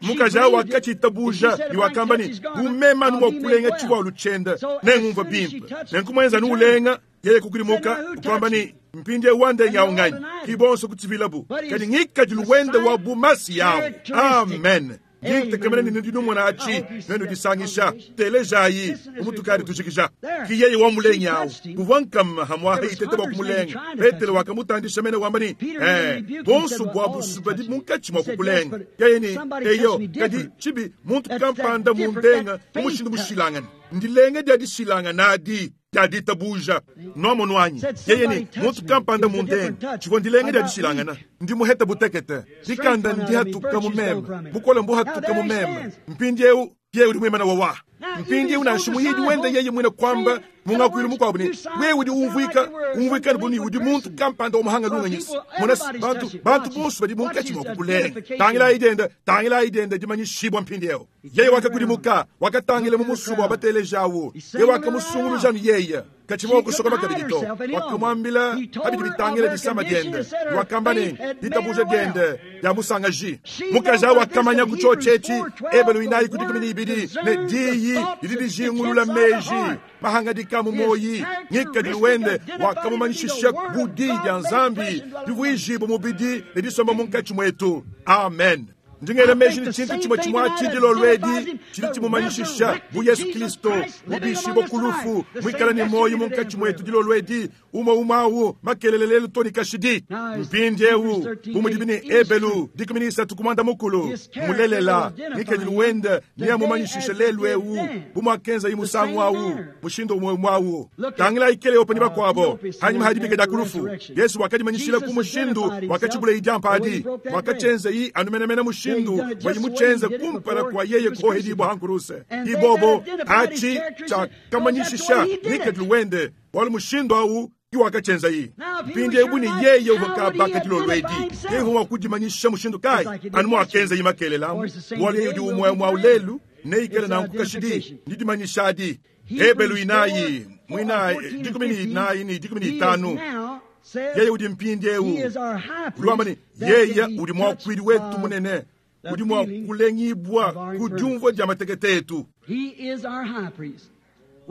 Mukaja wakachitabuja ni wakamba ni bumema nuwa kulenga chivua luchenda nengumva bimpe. Nenkumwenza nuulenga yeye kukudimuka kwamba ni mpindie wandenga unganyi. Kibonso kutivilabu. Kadi ngikadilu wende wa bu Masiya. Amen. Ngitegemene ni ndinumona achi nenu disangisha telejayi umutukari tujikija kiyeye wa mulenyawo kuvankam hamwa itete bwa kumulenga Petero wakamutandisha mene wamba ni eh bonso bwa busubadi munkachi mwa kukulenga yeye ni eyo kadi chibi muntu kampanda mundenga umushindu mushilangana ndilenga dia dishilanga nadi dia ditabuja nomo nwanyi yeye ni muntu kampanda mundenga chivwa ndilenga dia dishilangana ndi muheta butekete dikanda ndi hatuka mumema bukola mbu hatuka mumema mpindi eu ye uri mwimana wawa mpindi eu nanshimuyidi wende yeye mwina kwamba mungakwili mukwabu ni wewe udi umvwika umvwika ni udi muntu kampanda omuhanga lunganyisa mona bantu bantu bonso badi munkachi mwa kukulenga tangila idenda tangila idenda dimanyishibwa mpindi eu yeye wakakudimuka wakatangile mu musubu abatelejawo yeye wakamusunguluja ni yeye kachimwa kusoka bakabidito wakamwambila abidi bitangile disama diende wakamba ni ditabuja diende ya musangaji mukaja wakamanya kuchochechi ebelu inayi kudikumini ibidi ne diyi lidijingulula meji mahanga dikamu moyi ngikadilu wende wakamumanyishisha budi dia nzambi divuijibu mubidi ne disomba munkachi mwetu. Amen. Ndingela meji ni chintu chimwe chimwe achidilo lwedi chili chimumanyishisha bu Yesu Kristo mubishibo kulufu mwikala ni moyo munkachi mwetu dilo lwedi umo umawu makelelelelu toni kashidi mpindi eu bumudibini ebelu dikuminisa tukumanda mukulu mulelela nikedilu wende niya mumanyishisha lelu eu bumwakenza imusangu awu mushindo umwe mwawu tangila ikele opani bakwabo hanyuma hadibike dakulufu Yesu wakadimanyishila ku mushindu wakachibula ijampa adi wakachenza yi anumenemene mushindu wayimuchenza kumpala kwa yeye kohedibwa hankuruse ibobo achi chakamanyishisha nikedilu wende wali mushindu awu iwakachenza yi mpindi ebu ni yeye uvakabaka dilolwedi yeye wakudimanyisha mushindu kai anu mwakenza yi makelelamu wali yeye udi umwe mwaulelu neikele nankukashidi ndidimanyishadi ebelu inayi mwina dikumi ni ni dikumi ni itanu yeye udi mpindi eu ulwamba ni yeye udi mwakwili wetu munene udi mwakulengibwa kudiumvwa dia matekete etu.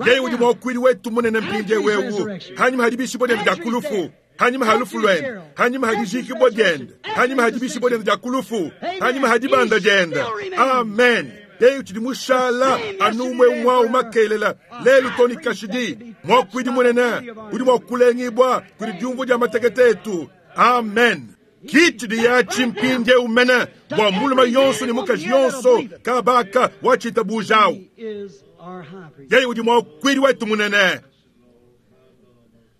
Yeye udi mwakwili wetu munene mpindi ewewu hanyuma hadibishibwa diende dia kulufu hanyuma halufu lwende hanyuma hadijikibwa diende hanyuma hadibishibwa diende dia kulufu hanyuma hadibanda diende. Amen. Yeye utidi mushala anumwe mwawu makelela lelu toni kashidi mwakwidi munene udi mwakulengibwa kudi diumvwa dia matekete etu. Amen. Kiti ya chimpinde umene bwa muluma yonso ni mukaji yonso kabaka wachitabujawu. Yeye udi mwakwidi wetu munene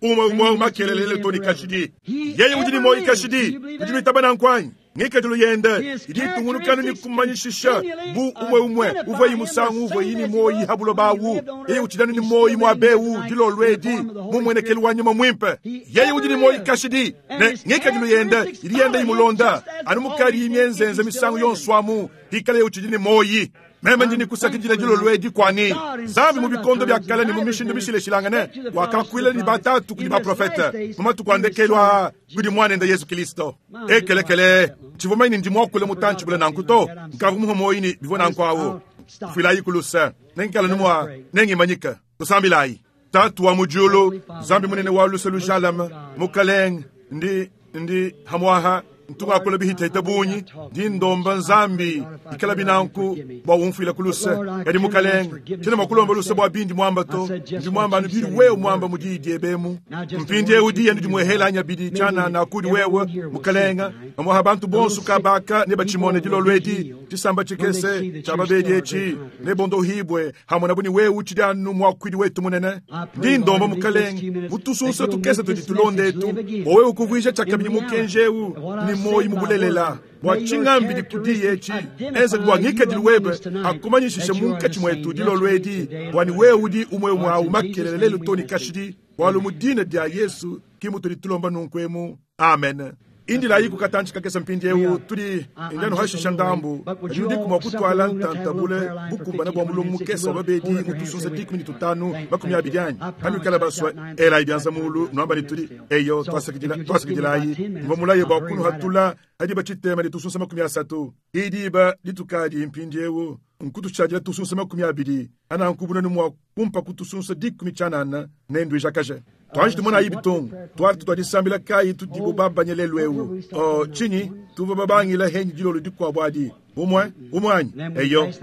umwe mwawu makelelele toni kashidi. Yeye udi ni moyi kashidi udi mitabana nkwanyi ngikadilu yende idi tungulukano ni kumanyishisha bu umwe umwe uvwe yimusangu uvwe yini moyi habulo bawu yeye utidani ni moyi mwabewu dilolwedi mumwenekelu wanyuma mwimpe. Yeye udi ni moyi kashidi ne ngikadilu yende idi yende imulonda anumukali imyenzenze misangu yonswamu hikale utidi ni moyi meme ndini kusakidila dilolwedi kwani zambi mu bikondo bya kale ni mu mishindu mishileshilangane wakakwila ni batatu kudi baprofete mumatuku andekelwa kudi mwana Yesu Kristo ekelekele chivumaini ndi mwakule mutanchibula nankuto nkavu muhomoyini bivona nkwawo filayi kulusa nenkala numwa nengimanyika tusambilayi tatu wa mujulu zambi munene wa lusa lujalama mukaleng ndi ndi hamwaha ntunga bihita bunyi ndi ndomba nzambi ikala binanku bwa umfila kuluse kadi mukaleng tena makulomba luse bwa bindi mwamba to ndi mwamba anu biri wewe mwamba mudidi ebemu mpindi eudi yenu dimwehela anya bidi chana na kudi wewe mukalenga amwaha bantu bonso kabaka ne bachimone dilolwedi tisamba chikese chababedi echi ne bondo hibwe hamwe nabuni wewe uchidanu mwakwidi wetu munene ndi ndomba mukalenga mutusunsa tukese tuditulonde etu owe ukuvwisha chakabidi mukenjeu ni moyi mubulelela bwa chingambi dikudi echi eze bwangikadilu webe akumanyishishe munkachi mwetu dilolwedi bwani wewe udi umwe mwawu makelele lelu toni kashidi bwalu mudina dia Yesu kimutu ditulomba nunkwemu. Amen. Indilayi kukatanchi kakesa mpindiewu tudi indanu hashisha ndambu kadi udiku mua kutwala ntantabule bukumbana bua mulongo mukese wa babedi mutusunza dikumi ni tutanu makumi abidi anyi hanwikala baswa elayi byanza mulu nwamba ni tudi eyo twasakidilayi mva mulaye bua kunuhatula hadi bachitema litusunza makumi asatu idiba litukadi mpindiewu nkutushadila tusunza makumi abidi anankubuna numwa kumpa kutusunza dikumi chanana nendwijakaje twanji tumona ayi bitongo twali tutwadisambila kayi tudibo babanye lelu ewu oh chinyi tuva babangila henyi dilolo dikwabo adi umwe umwanyi eyo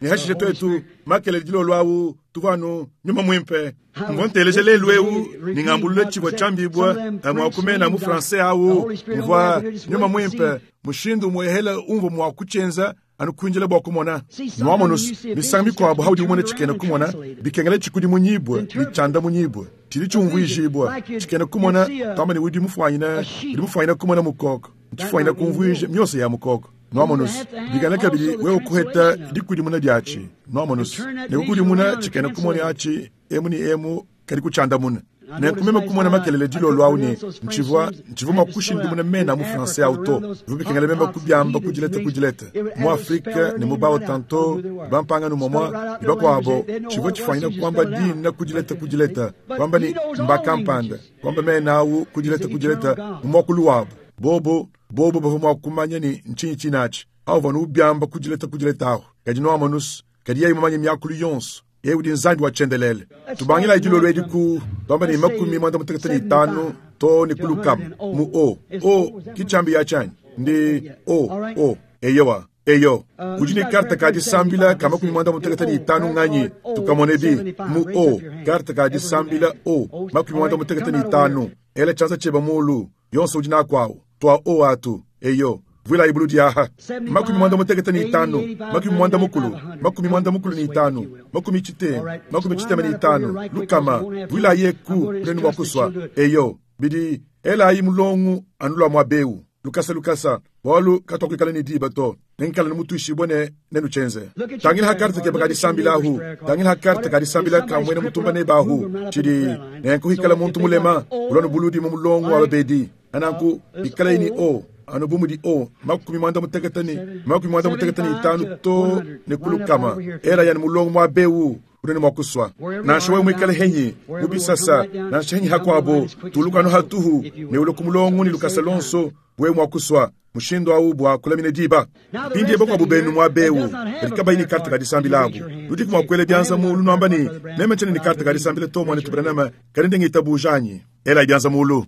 nihashishe twetu makele dilolo awu tuvanu nyuma mwimpe mvonteleje lelu ewu ningambulule chibwa chambibwa mwakumena mu français awu mvwa nyuma mwimpe mushindu mwehela umvo mwakuchenza anukwinjila bwa kumona nwamonus misanga mikwabo haudi umone chikena kumona bikengela chikudi munyibwe ni munyibwe chili chumvwijibwa chikena kumona tamba ni udi mufwanyina udi mufwanyina kumona mukoko nchifwanyina kumvwije myose ya mukoko nwamonus bikana kabili wewe kuheta dikudimuna dyachi nwamonus nekukudimuna chikena kumona achi emu ni emu kali kuchandamuna nenkumema kumona makelele dilolo awu ne nchivwa nchivwa makushindimuna mena mu français auto vubikengela mema kubyamba kudileta kudileta mu Afrika ne mu bao tanto bampanga no momwa ibakwabo chivwa chifanyina kwamba dina kudileta kudileta kwamba ni mbakampanda kwamba mena awu kudileta kudileta mu mwakulu wabo bobo bobo bavuma kumanya ni nchinyi chinachi awu vanu ubyamba kudileta kudileta aho kadi no amanus kadi yayi mamanya myakulu yonso ye udi nzambi wa chendelele tubangila idilolo edi ku twamba ni makumi mwanda mutekete ni tano to ni kulukama mu o o kichambi ya chanyi ndi o o eyowa eyo udi ni karta ka disambila ka makumi mwanda mutekete ni tano nganyi tukamone bi mu o karta ka disambila o makumi mwanda mutekete ni tano ela chanza cheba mulu yonso udi nakwawo twa o atu eyo vwila ibulu diaha makumi mwanda mutekete ni itano makumi mwanda mukulu makumi mwanda mukulu ni itano makumi chitema makumi chitema ni itano lukama vwila yeku lenu wakuswa eyo bidi ela ayi mulongu anulwa mwa beu lukasa lukasa walu katwakuikala ni diba to nenkala ni mutuishi bone nenu chenze tangila hakarta ke bakadi sambila hu tangila hakarta kadi sambila kamwene mutumba ne bahu chidi nenkuhikala muntu mulema ulonu buludi mu mulongu wa babedi ananku ikala ini o ano bumudi o makumi mwanda mutekete ni makumi mwanda mutekete ni itano to ne kulukama era yani mulongo mwa bewu unene mwakuswa nansha wewe mwikale henyi mubisasa nansha henyi hakwabo tulukano hatuhu ne ulo kumulongo ni lukasa lonso wewe mwakuswa mushindo awu bwa kulamine diba pindi ebo kwa bubenu mwa bewu likaba ini karta kadisambila abu ludiku mwakwele byanza mulu nwamba ni meme chene ni karta kadisambila to mwane tubranama kalinde ngitabujanyi ela ibyanza mulu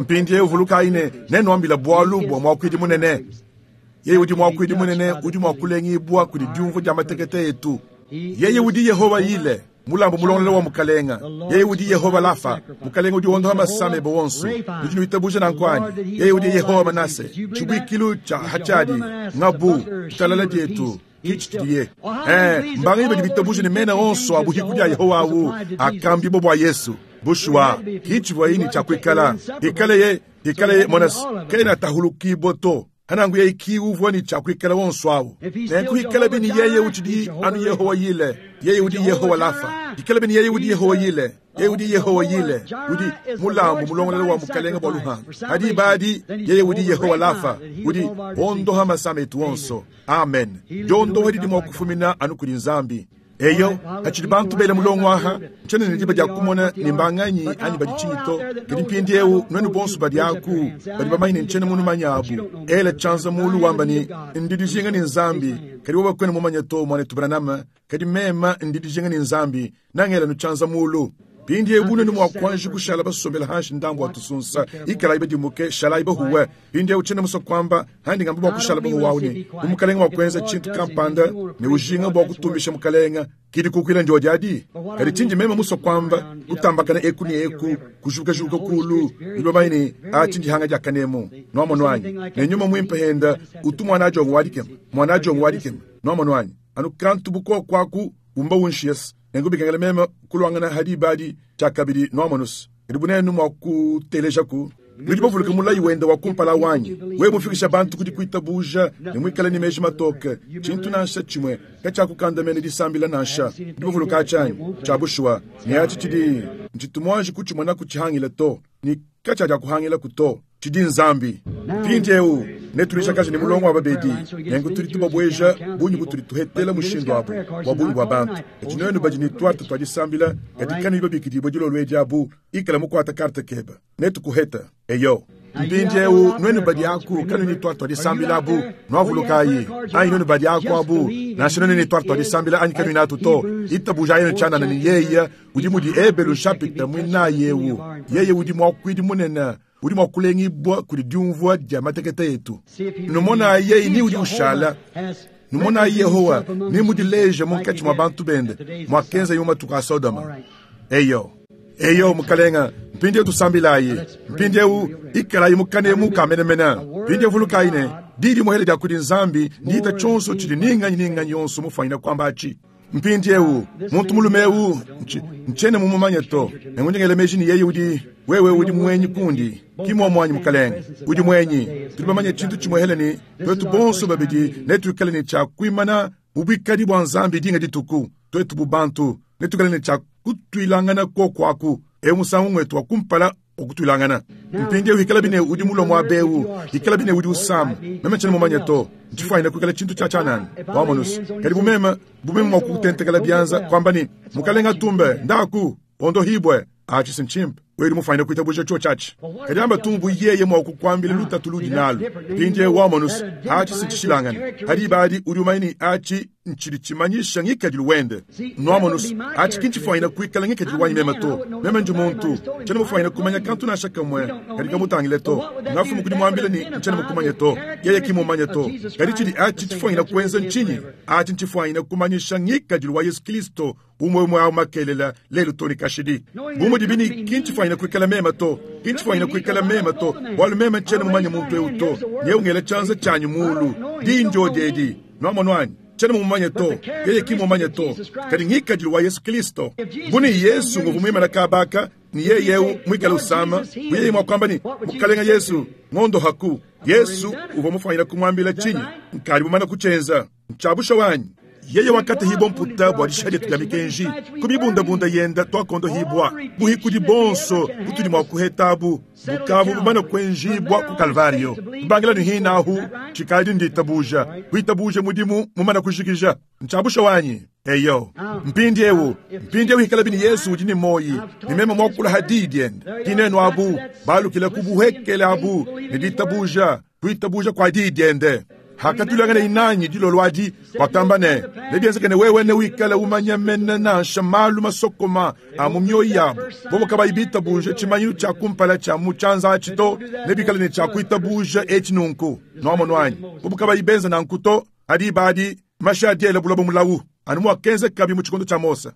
mpindi uvuluka ine neno ambila bwalu bwa mwakwidi munene yeye udi mwakwidi munene udi mwakulengibwa kudi diumvu dia matekete yetu yeye udi Yehova yile mulambo mulongolela wa mukalenga yeye udi Yehova lafa mukalenga udi wondoha masame bowonso udi nuitabuja na nkwani yeye udi Yehova manase chibwikilu cha hachadi ngabu talala dietu kichitiye eh mbangi badi bitabuja ni mena onso abuhiku dia Yehova awu akambi bo bwa Yesu bushwa kichivwa ini cha kwikala ikale ye ikale ye monas kena tahulukibo to hanangu ye ikiuvwa ni cha kwikala wonso awu nenkuikala bini yeye uchidi anu Yehova yile yeye udi Yehova lafa ikala bini yeye udi Yehova yile yeye udi Yehova yile udi mulambo mulongolela wa mukalenga bwa luhanga hadi badi yeye udi Yehova lafa udi ondoha masametu wonso amen jondo hadi mwakufumina anu kuli nzambi eyo hachili bantu bele mulongo aha nchene ni diba dia kumona ni mbanganyi anyi badi chinyito kadi mpindi ewu nwenu bonso badi aku badi bamanyine nchene munu manyabu ela chanza mulu wamba ni ndidijinga ni nzambi kadi woba kwene mumanya to mwane tubranama kadi mema ndidijinga ni nzambi nangela nuchanza mulu pindi ebu nenu mwakwanji kushala basombela hanshi ndambu watusunsa ikala ibe dimuke shala ibe huwe pindi ebu chene muso kwamba handi ngamba bwa kushala bahu wauni umukalenga wakwenza chintu kampanda ne ujinga bwa kutumbisha mukalenga kidi kukwila ndio jadi kadi chinji mema muso kwamba kutambakana eku ni eku kushuka shuka kulu ibe a chinji hanga jakanemo nwamo nwanyi ne nyuma mwimpe henda utu mwana jongo wadikem mwana jongo wadikem nwamo nwanyi anu kantu buko kwaku umba unshies nengubikengela mema kulwangana hadi badi chakabidi nwamonus idibunenu mwakutelejaku nudibavuluka mulayi wenda wakumpala wanyi we mufikisha bantu kudi kuitabuja ne mwikala ni meji matoke chintu nansha chimwe kachakukandamene disambila nansha ndibavuluka achanyi chabushuwa ne achi chidi nchitumwanji kuchimona kuchihangila to ni kachaja kuhangila kuto Tshidi Nzambi. Mpindieu netulishakaje ne mulongo wa babedi nenku tudi tubabweja bungi butudi tuhetela mushindu abu bua bungi bua bantu. Kadi nuenu badi ne tuarte tua disambila kadi kanuyi babikidibue dilolo edi abu ikala mukuata karte keba netukuheta eyo. Mpindieu nuenu badi aku kanuyi ne tuarte tua disambila abu nuavulukayi anyi nuenu badi aku abu nansha nuenu ne tuarte tua disambila anyi kanuyi natu to itabuja yenu tshianana ne yeye udi mudi Ebelu chapitre mwinayi eu yeye udi muakuidi munene udi mua kulengibwa kudi diumvua dia matekete etu. Numona yeye ni udi ushala numona Yehowa ni mudileje munkatshi mua bantu bende mwakenza yo matuku a Sodoma. Eyo eyo mukalenga mpindieu tusambilayi mpindieu ikalayi mukane mukamenemena mpindieu vulukayi ne didi muhele dia kudi Nzambi ndiita tshionso tshidi ninganyi ninganyi yonso mufanyina kwamba achi. Mpindieu muntu mulume eu nchene mumumanye to nengundingele meji ni yeye udi wewe udi mwenyi kundi kimwa mwanyi mukalenga udi mwenyi tudi bamanye tshintu tshimwehele ni twetu bonso babidi netuikale ne tshia kuimana mubwikadi bwa Nzambi dinga dituku twetu bu bantu netuikale ne tshia kutuilangana kokwaku eu musangu ngwetu wa kumpala okutwilangana. Mpindieu ikala bine udi mulomo wa beu ikala bine udi usama meme nchene mumanye to ntshifuanyina kuikala tshintu tshia tshianana wamonusu kadi bumema bumema mua kutentekela bianza kwamba ni mukalenga tumbe ndaku ondohibwe achi sinchimpe wewe mufanyina kuitabuja cho chachi kadi amba tumbu yeye mwa kukwambila lutatu ludi nalo mpindieu wamonusu achi sinchishilangana hadi badi udi umaini achi nchili chimanyisha ngikadilu wende nwamonusu achi kinchifanyina kuikala ngikadilu wanyi mema to meme nji muntu nchene mufanyina kumanya kantu nasha kamwe kadi kamutangile to ngafumu kudi mwambile ni nchene mukumanya to yeye kimumanya to kadi chili achi chifanyina kuenza nchinyi achi nchifanyina kumanyisha ngikadilu wa Yesu Kristo umwe umwe au makelela lelu toni kashidi bumu dibini kinchifanyina kuikala mema to kinchifanyina kuikala mema to bwalu mema nchene mumanya muntu eu to nyeungela chanza chanyu mulu dinjo dedi nwamonwanyi chene mumanye to yeye kimumanye to kadi ngikadilu wa Yesu Kristo buni Yesu nguvumwimana kabaka ni yeye mwikala usama yeye mwakwamba ni mukalenga Yesu ngondo haku Yesu uva mufanyira kumwambila chinyi nkali mumana kuchenza nchabusha wanyi yeye wakati hibo mputa bwa dishadi ya mikenji kumibundabunda yenda twakondo hibwa buhikudi bonso butudi mwa kuhetabu bukavu bumana kwenjibwa ku Kalvario mbangila ni hinahu chikali nditabuja kuitabuja mudimu mumana kushikija nchabusha wanyi eyo mpindi ewu mpindi ewu hikala bini Yesu udi ni moyi ni mema mwakula hadidi ende kineno abu balukila kubuhekele abu niditabuja kuitabuja kwa didi ende hakatulangana inanyi dilolwadi wakamba ne nebyenzekene wewe ne wikala umanya mene nansha malu masokoma a mu mioyo yabo bobo kabayi bitabuje tshimanyinu tshia kumpala tshia mu tshianza atshi to nebikale ne tshia kuitabuja etshi nunku noamonwanyi bobo kabayi benza nanku to adi badi mashi adiela bulobo mulawu anu mwakenza kabi mu tshikondo tshia Mose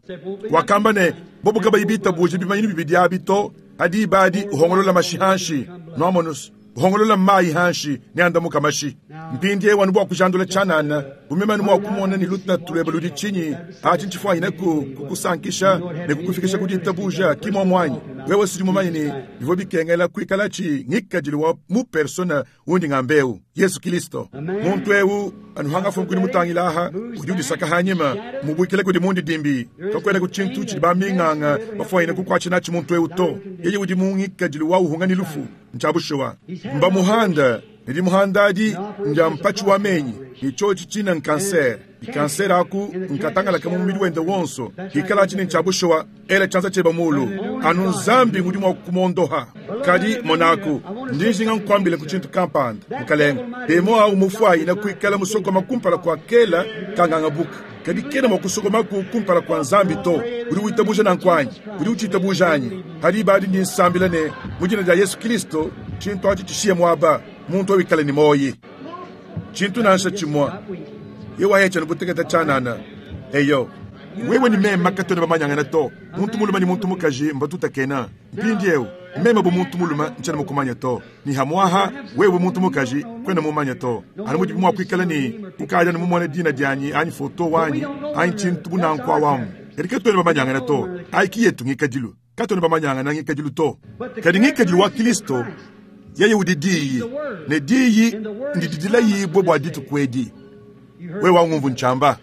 wakamba ne bobo kabayi bitabuje bimanyinu bibidi abi to adi badi uhongolola mashi hanshi noamonusu uhongolola mayi hanshi neandamuka mashi mpindie wanu bwa kujandula tshanana bumemanu mwa kumona ni lutatu lweba ludi tshinyi achi ntshifwanyina ku kukusankisha ne kukufikisha kuditabuja kimwa mwanyi wewe sudi mumanyi ni bivua bikengela kuikala tshi ngikadilu wa mu persona undi ngambeu Yesu Kristo muntu eu anuhanga fumu kudi mutangila aha udi udisaka hanyima mubwikile kudi mundi dimbi kakwena ku tshintu tshidi baminganga bafwanyina kukwatshi natshi muntu eu to yeye udi mu ngikadilu wa uhunga ni lufu nchabushuwa mba muhanda nidi muhanda adi nja mpatshi wa menyi ichochi china nkanser ikanser aku nkatangalaka mu mubidi wende wonso ikala tshine nchabushuwa ela tshanza tsheba mulu anu Nzambi ngudi mwa kumondoha kadi monaku ndinjinga nkwambile ku tshintu kampanda mukalenga demo au mufwayina kuikala musokoma kumpala kwa kela kanganga buka kadi kena mwa kusokoma ku kumpala kwa Nzambi to udi witabuja na nkwanyi udi uchitabuja anyi hadi badi ndi nsambila ne mu dina dia Yesu Kristo tshintu atshi tshishiye mwaba muntu awikale ni moyi tshintu nansha tshimwa yewa hecha nubuteketa tshanana eyo wewe ni mema katona bamanyangana to muntu muluma ni muntu mukaji mbatutakena mpindi eu mema bu muntu muluma nchana mukumanya to ni hamwaha wewe muntu mukaji kwena mumanya to anu mudi mwa kuikala ni kukaja ni mumwana dina dyanyi anyi foto wanyi anyi tshintu bunankwa wamu kadi katona bamanyangana to aiki yetu ngikadilu katona bamanyangana ngikadilu to kadi ngikadilu wa Kristo yeye udi diyi ne diyi ndididila yibwe bwa dituku edi wewe wangumvu nchamba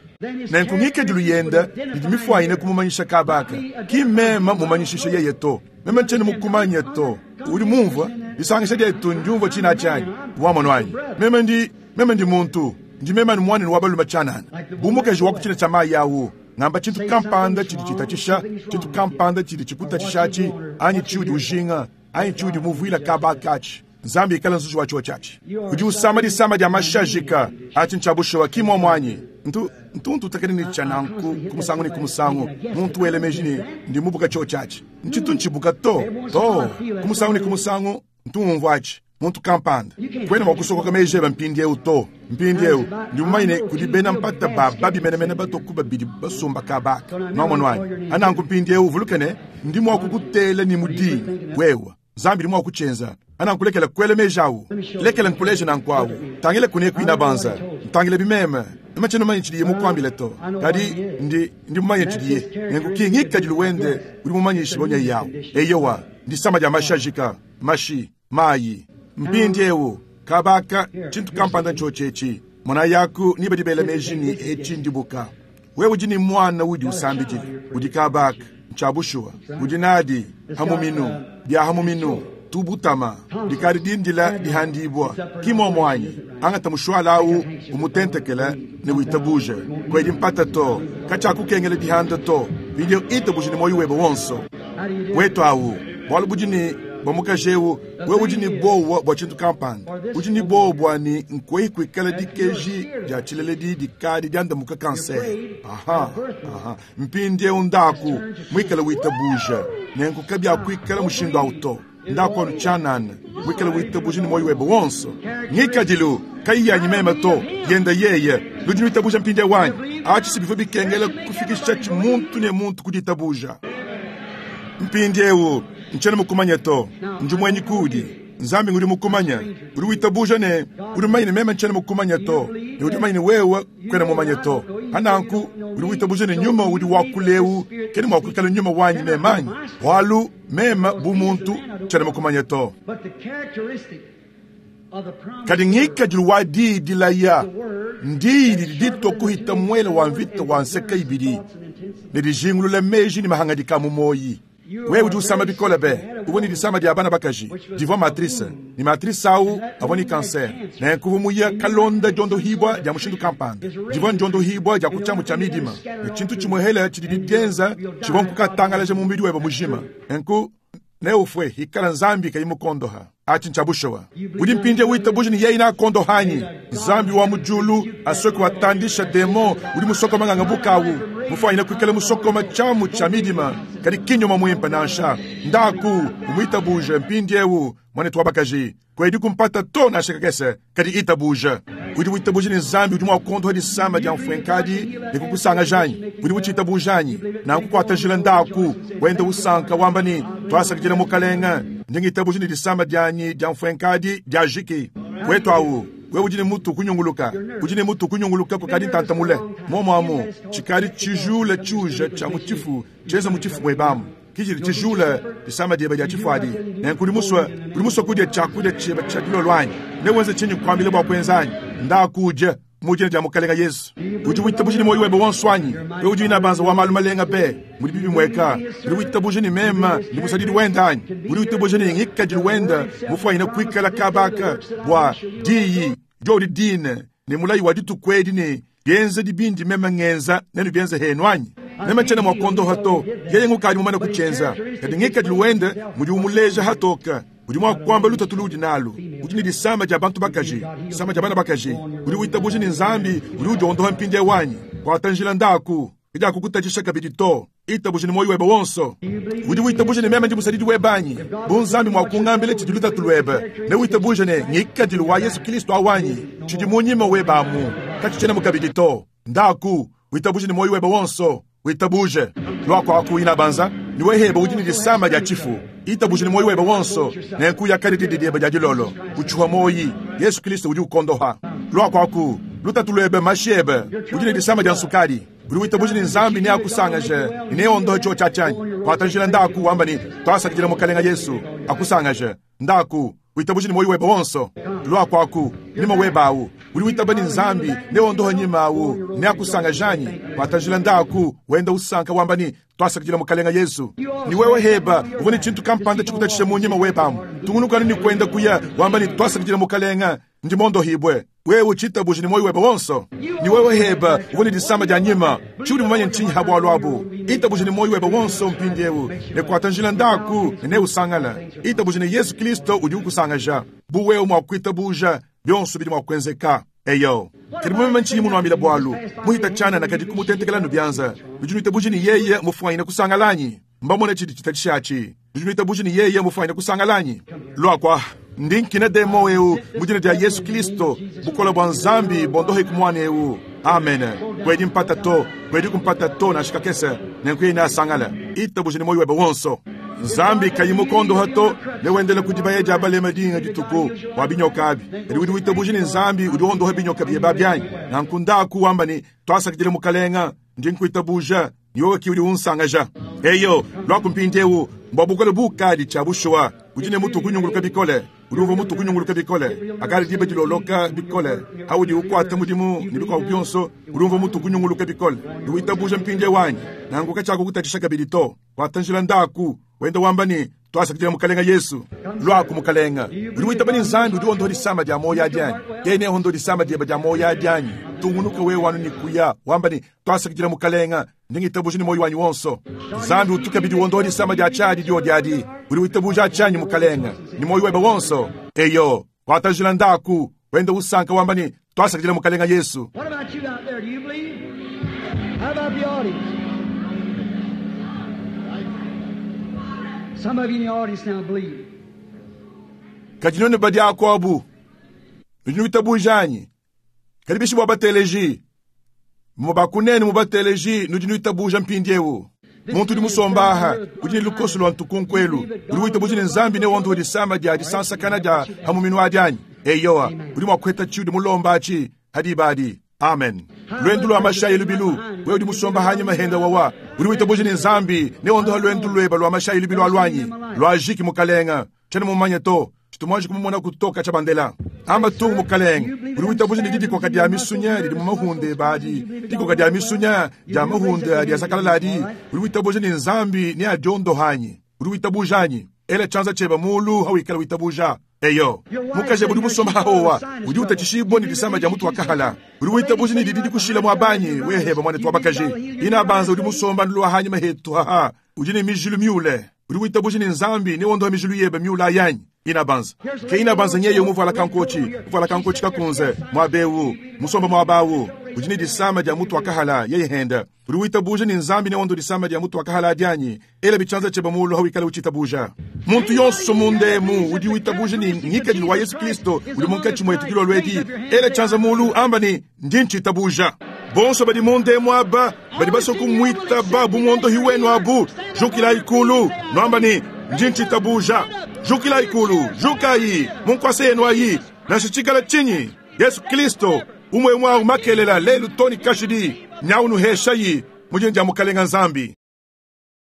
nenku ngikadilu yenda didi mifwanyine kumumanyisha kabaka ki mema mumanyishisha yeye to mema nchene mukumanya to udi mumvua Disangisha dietu ndiumvua tshina tshianyi. Wamonu anyi? Meme ndi meme ndi muntu. Ndi meme anu muanenu wa balume tshianana. Bu mukaji wa ku tshina tshia mayi awu. Ngamba tshintu kampanda tshidi tshitatshisha, tshintu kampanda tshidi tshikutatshishatshi, anyi tshiudi ujinga, anyi tshiudi muvuila kaba katshi. Nzambi ikala nzuji wa tshiwa tshiatshi. Udi usama disama dia mashajika, atshi ntshiabushewa ki muomu anyi. Ntu ntuntu utakene ne tshia nanku ku musangu ne ku musangu. Muntu wele meji ne ndi mubuka tshiwa tshiatshi. Ntshitu ntshibuka to, to. Ku musangu ne ku musangu ntu ngumvua atshi. Muntu kampanda. Kwena mua kusokoka meji ebe mpindieu to. Mpindieu ndi mumanye ne kudi bena mpata ba babi menemene batoku babidi basomba kabaka. Nwamonu anyi? Ananku mpindieu uvuluke ne ndi mua kukutela ne mudinyi wewe. Nzambi ndi mua kutshienza. Anankulekela kuela meji awu. Lekela nkuleje nanku awu. Tangile kune kuina banza. Ntangile bimeme. Meme tshiena mumanye tshidiye mukuambile to. Kadi ndi ndi mumanye tshidiye. Nenku ki ngikadilu wende udi mumanyishe bonya yawu. Eyowa, ndisama dia mashajika, mashi, mayi. Mpindieu kabaka tshintu kampanda ntshotshetshi. Mona yaku ni badi bela meji ni etshi ndibuka. Wewe udi ni mwana udi usambidile. Udi kabaka ntshiabushuwa. Udi nadi hamuminu, bia hamuminu. Tubutama dikadi dindila dihandibwa kimo mwanyi angata mushwala awu umutentekela ne witabuje kwedi mpata to kacha kukengela dihanda to video itabuje ne moyo webe wonso wetu awu bwalu budi ni bwamukajewu wewe udi ni bowa bwa tshintu kampanda udi ni bowa bwa ni nkwei kwikala dikeji dia tshileledi dikadi diandamuka kanser aha aha mpindieu ndaku mwikala witabuja nenku kabya kwikala mushindu awu to ndako tshianana wikala witabuja ni moyo webe wonso ngikadilu kayiyanyi meme to yenda yeye ludi witabuja mpinde wanyi atshi sibivyo bikengela kufikisha tshi muntu ne muntu kuditabuja mpindiewu ntshiena mukumanya to ndi mwenyi kudi nzambi ngudi mukumanya udi witabuja ne udi mumanye ne meme ntshiena mukumanya to ne udi mumanye ne wewe kwena mumanye to ananku udi witabuja ne nyuma udi wakuleu kene mua kuikala nyuma wanyi memanyi bwalu meme bu muntu ntshiena mukumanya to kadi ngikadilu wa diyi dilaya ndiyi didi ditwa kuhita mwele wa mvita wa nseka ibidi ne dijingulula meji ne mahangadika mu moyi. Wewe udi usama bikole be uvua ne disama dia bana bakaji divua matrice ni matrice awu avua ni kanser nenku muya kalonda diondohibwa dia mushindu kampanda divua ndiondohibwa dia kutshiamu tshia midima ne tshintu tshimuhele tshidi didienza tshivua nkukatangalaja mu mubidi webe mujima nenku neufwe ikala nzambi kayi mukondoha atshi ntshiabushowa udi mpindie witabuja ni yeye nakondohanyi nzambi wa mujulu asoki watandisha demo udi musokoma nganga bukawu mufanyine kuikala musokoma tshiamu tshia midima kadi kinyuma muimpe nansha ndaku umwitabuje mpindiewu mwanetu wa bakaji kwedi kumpata to nansha kakese kadi itabuje udi witabuje ni nzambi udi mua kukondoha disama dia mfwenkadi ne kukusangajanyi udi utshitabujanye nankukuatajila ndaku wenda usanka wamba ni twasakidila mukalenga ndingitabuje ni disama dianyi dia mfwenkadi dia jiki wetu awu wewe udi ne mutu kunyunguluka udi ne mutu kunyunguluka kukadi ntantamule momo amu tshikadi tshijula tshiuja tshia mutifu tshienza mutifu webamu kijili tshijula disama diebe dia tshifuadi nenku udi musue udi musue kudia tshiakudia tshiebe tshia dilolo anyi newenze tshinyi kuambile bua kuenzanyi ndakudia mu dina dia mukalenga Yesu udi witabuje ni moyo webe wonso anyi wewe udi inabanza wa malu malenga be mudi bibi mweka udi witabuje ni mema ndi musadidi wenda anyi udi witabuje ni ngikadilu wenda mufwanyine kuikala kabaka bwa diyi diodi dine ne mulayi wa dituku edi ne bienze dibindi meme ngenza nenu bienze henu anyi meme tshiena mua kondoha to yeye ngukadi mumane kutshienza kadi ngikadilu wende mudi umuleja hatoka udi mua kuamba lutatu ludi nalu udi ne disama dia bantu bakaji disama dia bana bakaji udi witabuje ni nzambi udi udiondoha mpindie wanyi kuatanjila ndaku idi akukutatshisha kabidi to itabuje ni moyo webe wonso udi witabuje ne meme ndi musadidi webanyi bu nzambi mua kungambile tshidi lutatu lwebe ne witabuje ne ngikadilu wa Yesu Kristo awanyi tshidi munyima webamu katshitshiena mukabidi to ndaku witabuje ni moyo webe wonso witabuje lwako akuina banza niweheba udi ne disama dia tshifu itabuje ni moyo webe wonso nenku yakadi didiebe dia dilolo utshuha moyi Yesu Kristo udi ukondoha lwako aku lutatu lwebe mashiebe udi ne disama dia nsukadi udi witabuje ni nzambi ne akusangaje ne ondohe tsho tshiatshanyi kwatanjila ndaku wamba ni twasakidila mukalenga Yesu akusangaje ndaku witabuje ni moyo webe wonso lwako aku nima webawu Udi witaba ne Nzambi neondohe nyima awu neakusangajanyi watajila ndaku wenda usanka wamba ni twasakidila mukalenga Yesu. Ni wewe heba uvua ne tshintu kampanda tshikutatshisha mu nyima webamu tungunukanu ni kwenda kuya wamba ni twasakidila mukalenga ndi mondohibwe wewe uchitabuje ni moyo webe wonso. Ni wewe heba uvua ne disama dia nyima tshiudi mumanye ntshinyi ha bwalu abu itabuje ni moyo webe wonso mpindiewu ne kuata njila ndaku ne neusangala itabuje ne Yesu Kristo udi ukusangaja bu wewe mwa kuitabuja byonso bidi mwa kuenzeka. Eyo kadi mumeme ntshinyi munuambila bwalu muhita tshana na kadi kumutentekela nubyanza nudi nuitabuje ni yeye mufwanyine kusangalanyi mbamone tshidi tshitatshishatshi nudi nuitabuje ni yeye mufwanyine kusangalanyi lwakwa ndi nkina demo eu mudina dia Yesu Kristo bukola bwa Nzambi bondohe kumwana eu. Amen. Kwedi mpata to kwedi kumpata to na shikakese nenkuye asangala itabuje ni moyo webe wonso. Nzambi kayimukondo hato newendele kudibaya dia balema dinga dituku wa binyoka abi kadi udi witabuje ni Nzambi udi ondoha binyoka byeba byanyi na nkundaku wamba ni twasakidile mukalenga ndi nkuitabuja niyowe ki udi unsangaja. Eyo lwakumpindiewu mbwa bukole bukali tshia bushuwa udi ne mutu kunyunguluka bikole udi umva mutu kunyunguluka bikole akali diba diloloka bikole haudi ukwata mudimu ne bikwabu byonso udi umva mutu kunyunguluka bikole udi witabuja mpindie wanyi nanguka tshako kutatshisha kabidi to watanjila ndaku wenda wamba ni twasakidila mukalenga Yesu. Lwaku mukalenga udi witaba ni Nzambi udi ondoha disama dia moyo adianyi yene ondo disama dieba dia moyo adianyi tungunuka wewe wanu ni kuya wamba ni twasakidila mukalenga ndingitabuja ni moyo wanyi wonso. Nzambi utuka bidi ondoha disama dia tshadi dio diadi udi witabuja achanyi mukalenga ni moyo webe wonso. Eyo watajila ndaku wenda usanka wamba ni twasakidila mukalenga Yesu. What about you out there? Do you believe? How about the audience? Some of you in the audience now believe. Kadi badi akwabu nudi nuitabujanyi kadi bishi bwa bateleji mubakunene mubateleji nudi nuitabuja mpindiewu muntu udi musombaha udi ne lukoso lwa ntukunkwelu udi witabuja ne Nzambi ne wondoha disama dia disansakana dia hamuminu adianyi. Eyowa udi mwa kuheta tshiudi mulomba atshi hadibadi. Amen. Lwendu lwa mashayi lubilu wewe udi musomba hanyuma henda wawa udi witabuja ne Nzambi ne wondoha lwendu lweba lwa mashayi lubilu alwanyi lwa jiki mukalenga tshene mumanye to chitumwaji kumumona kutoka cha bandela amba tungu mukalenga udi witabuja ne didikoka dia misunya didi mumahunde badi dikoka dia misunya dia mahunde dia sakalaladi udi witabuja ne Nzambi ne adiondohanyi udi witabujanyi ele chanza cheba mulu hawikala witabuja. Eyo mukaje budi musomba hahowa udi utatshishibwa ni disama dia mutu wakahala udi witabuja ni didi dikushila mwabanyi weheba mwane twabakaje ina banza udi musomba nlwa hanyuma hetu haha udi ne mijilu miule udi witabuja ni Nzambi ne wondoha mijilu yebe miula ayanyi ina banza ke ina banza nyeye umuvala kankochi uvala kankochi kakunze mwabewu musomba mwabawu udi ne disama dia mutu wakahala yeye henda udi witabuja ni Nzambi ne wondo disama dia mutu wakahala adianyi ele bichanza cheba mulu hawikala uchitabuja muntu yonso mundemu udi witabuja ni ngikadilu wa Yesu Kristo udi munkatshi mwetu kilolwedi ele chanza mulu amba ni ndi nchitabuja bonso badi mundemu aba badi basoku mwita babu mondo hiwenu abu jukila ikulu nwamba ni ndi nchitabuja jukila ikulu jukayi munkwase yenu ayi nashichikala chinyi Yesu Kristo umwe mwa umakelela lelu toni kashidi nyaunuheshayi mujini dia mukalenga Nzambi.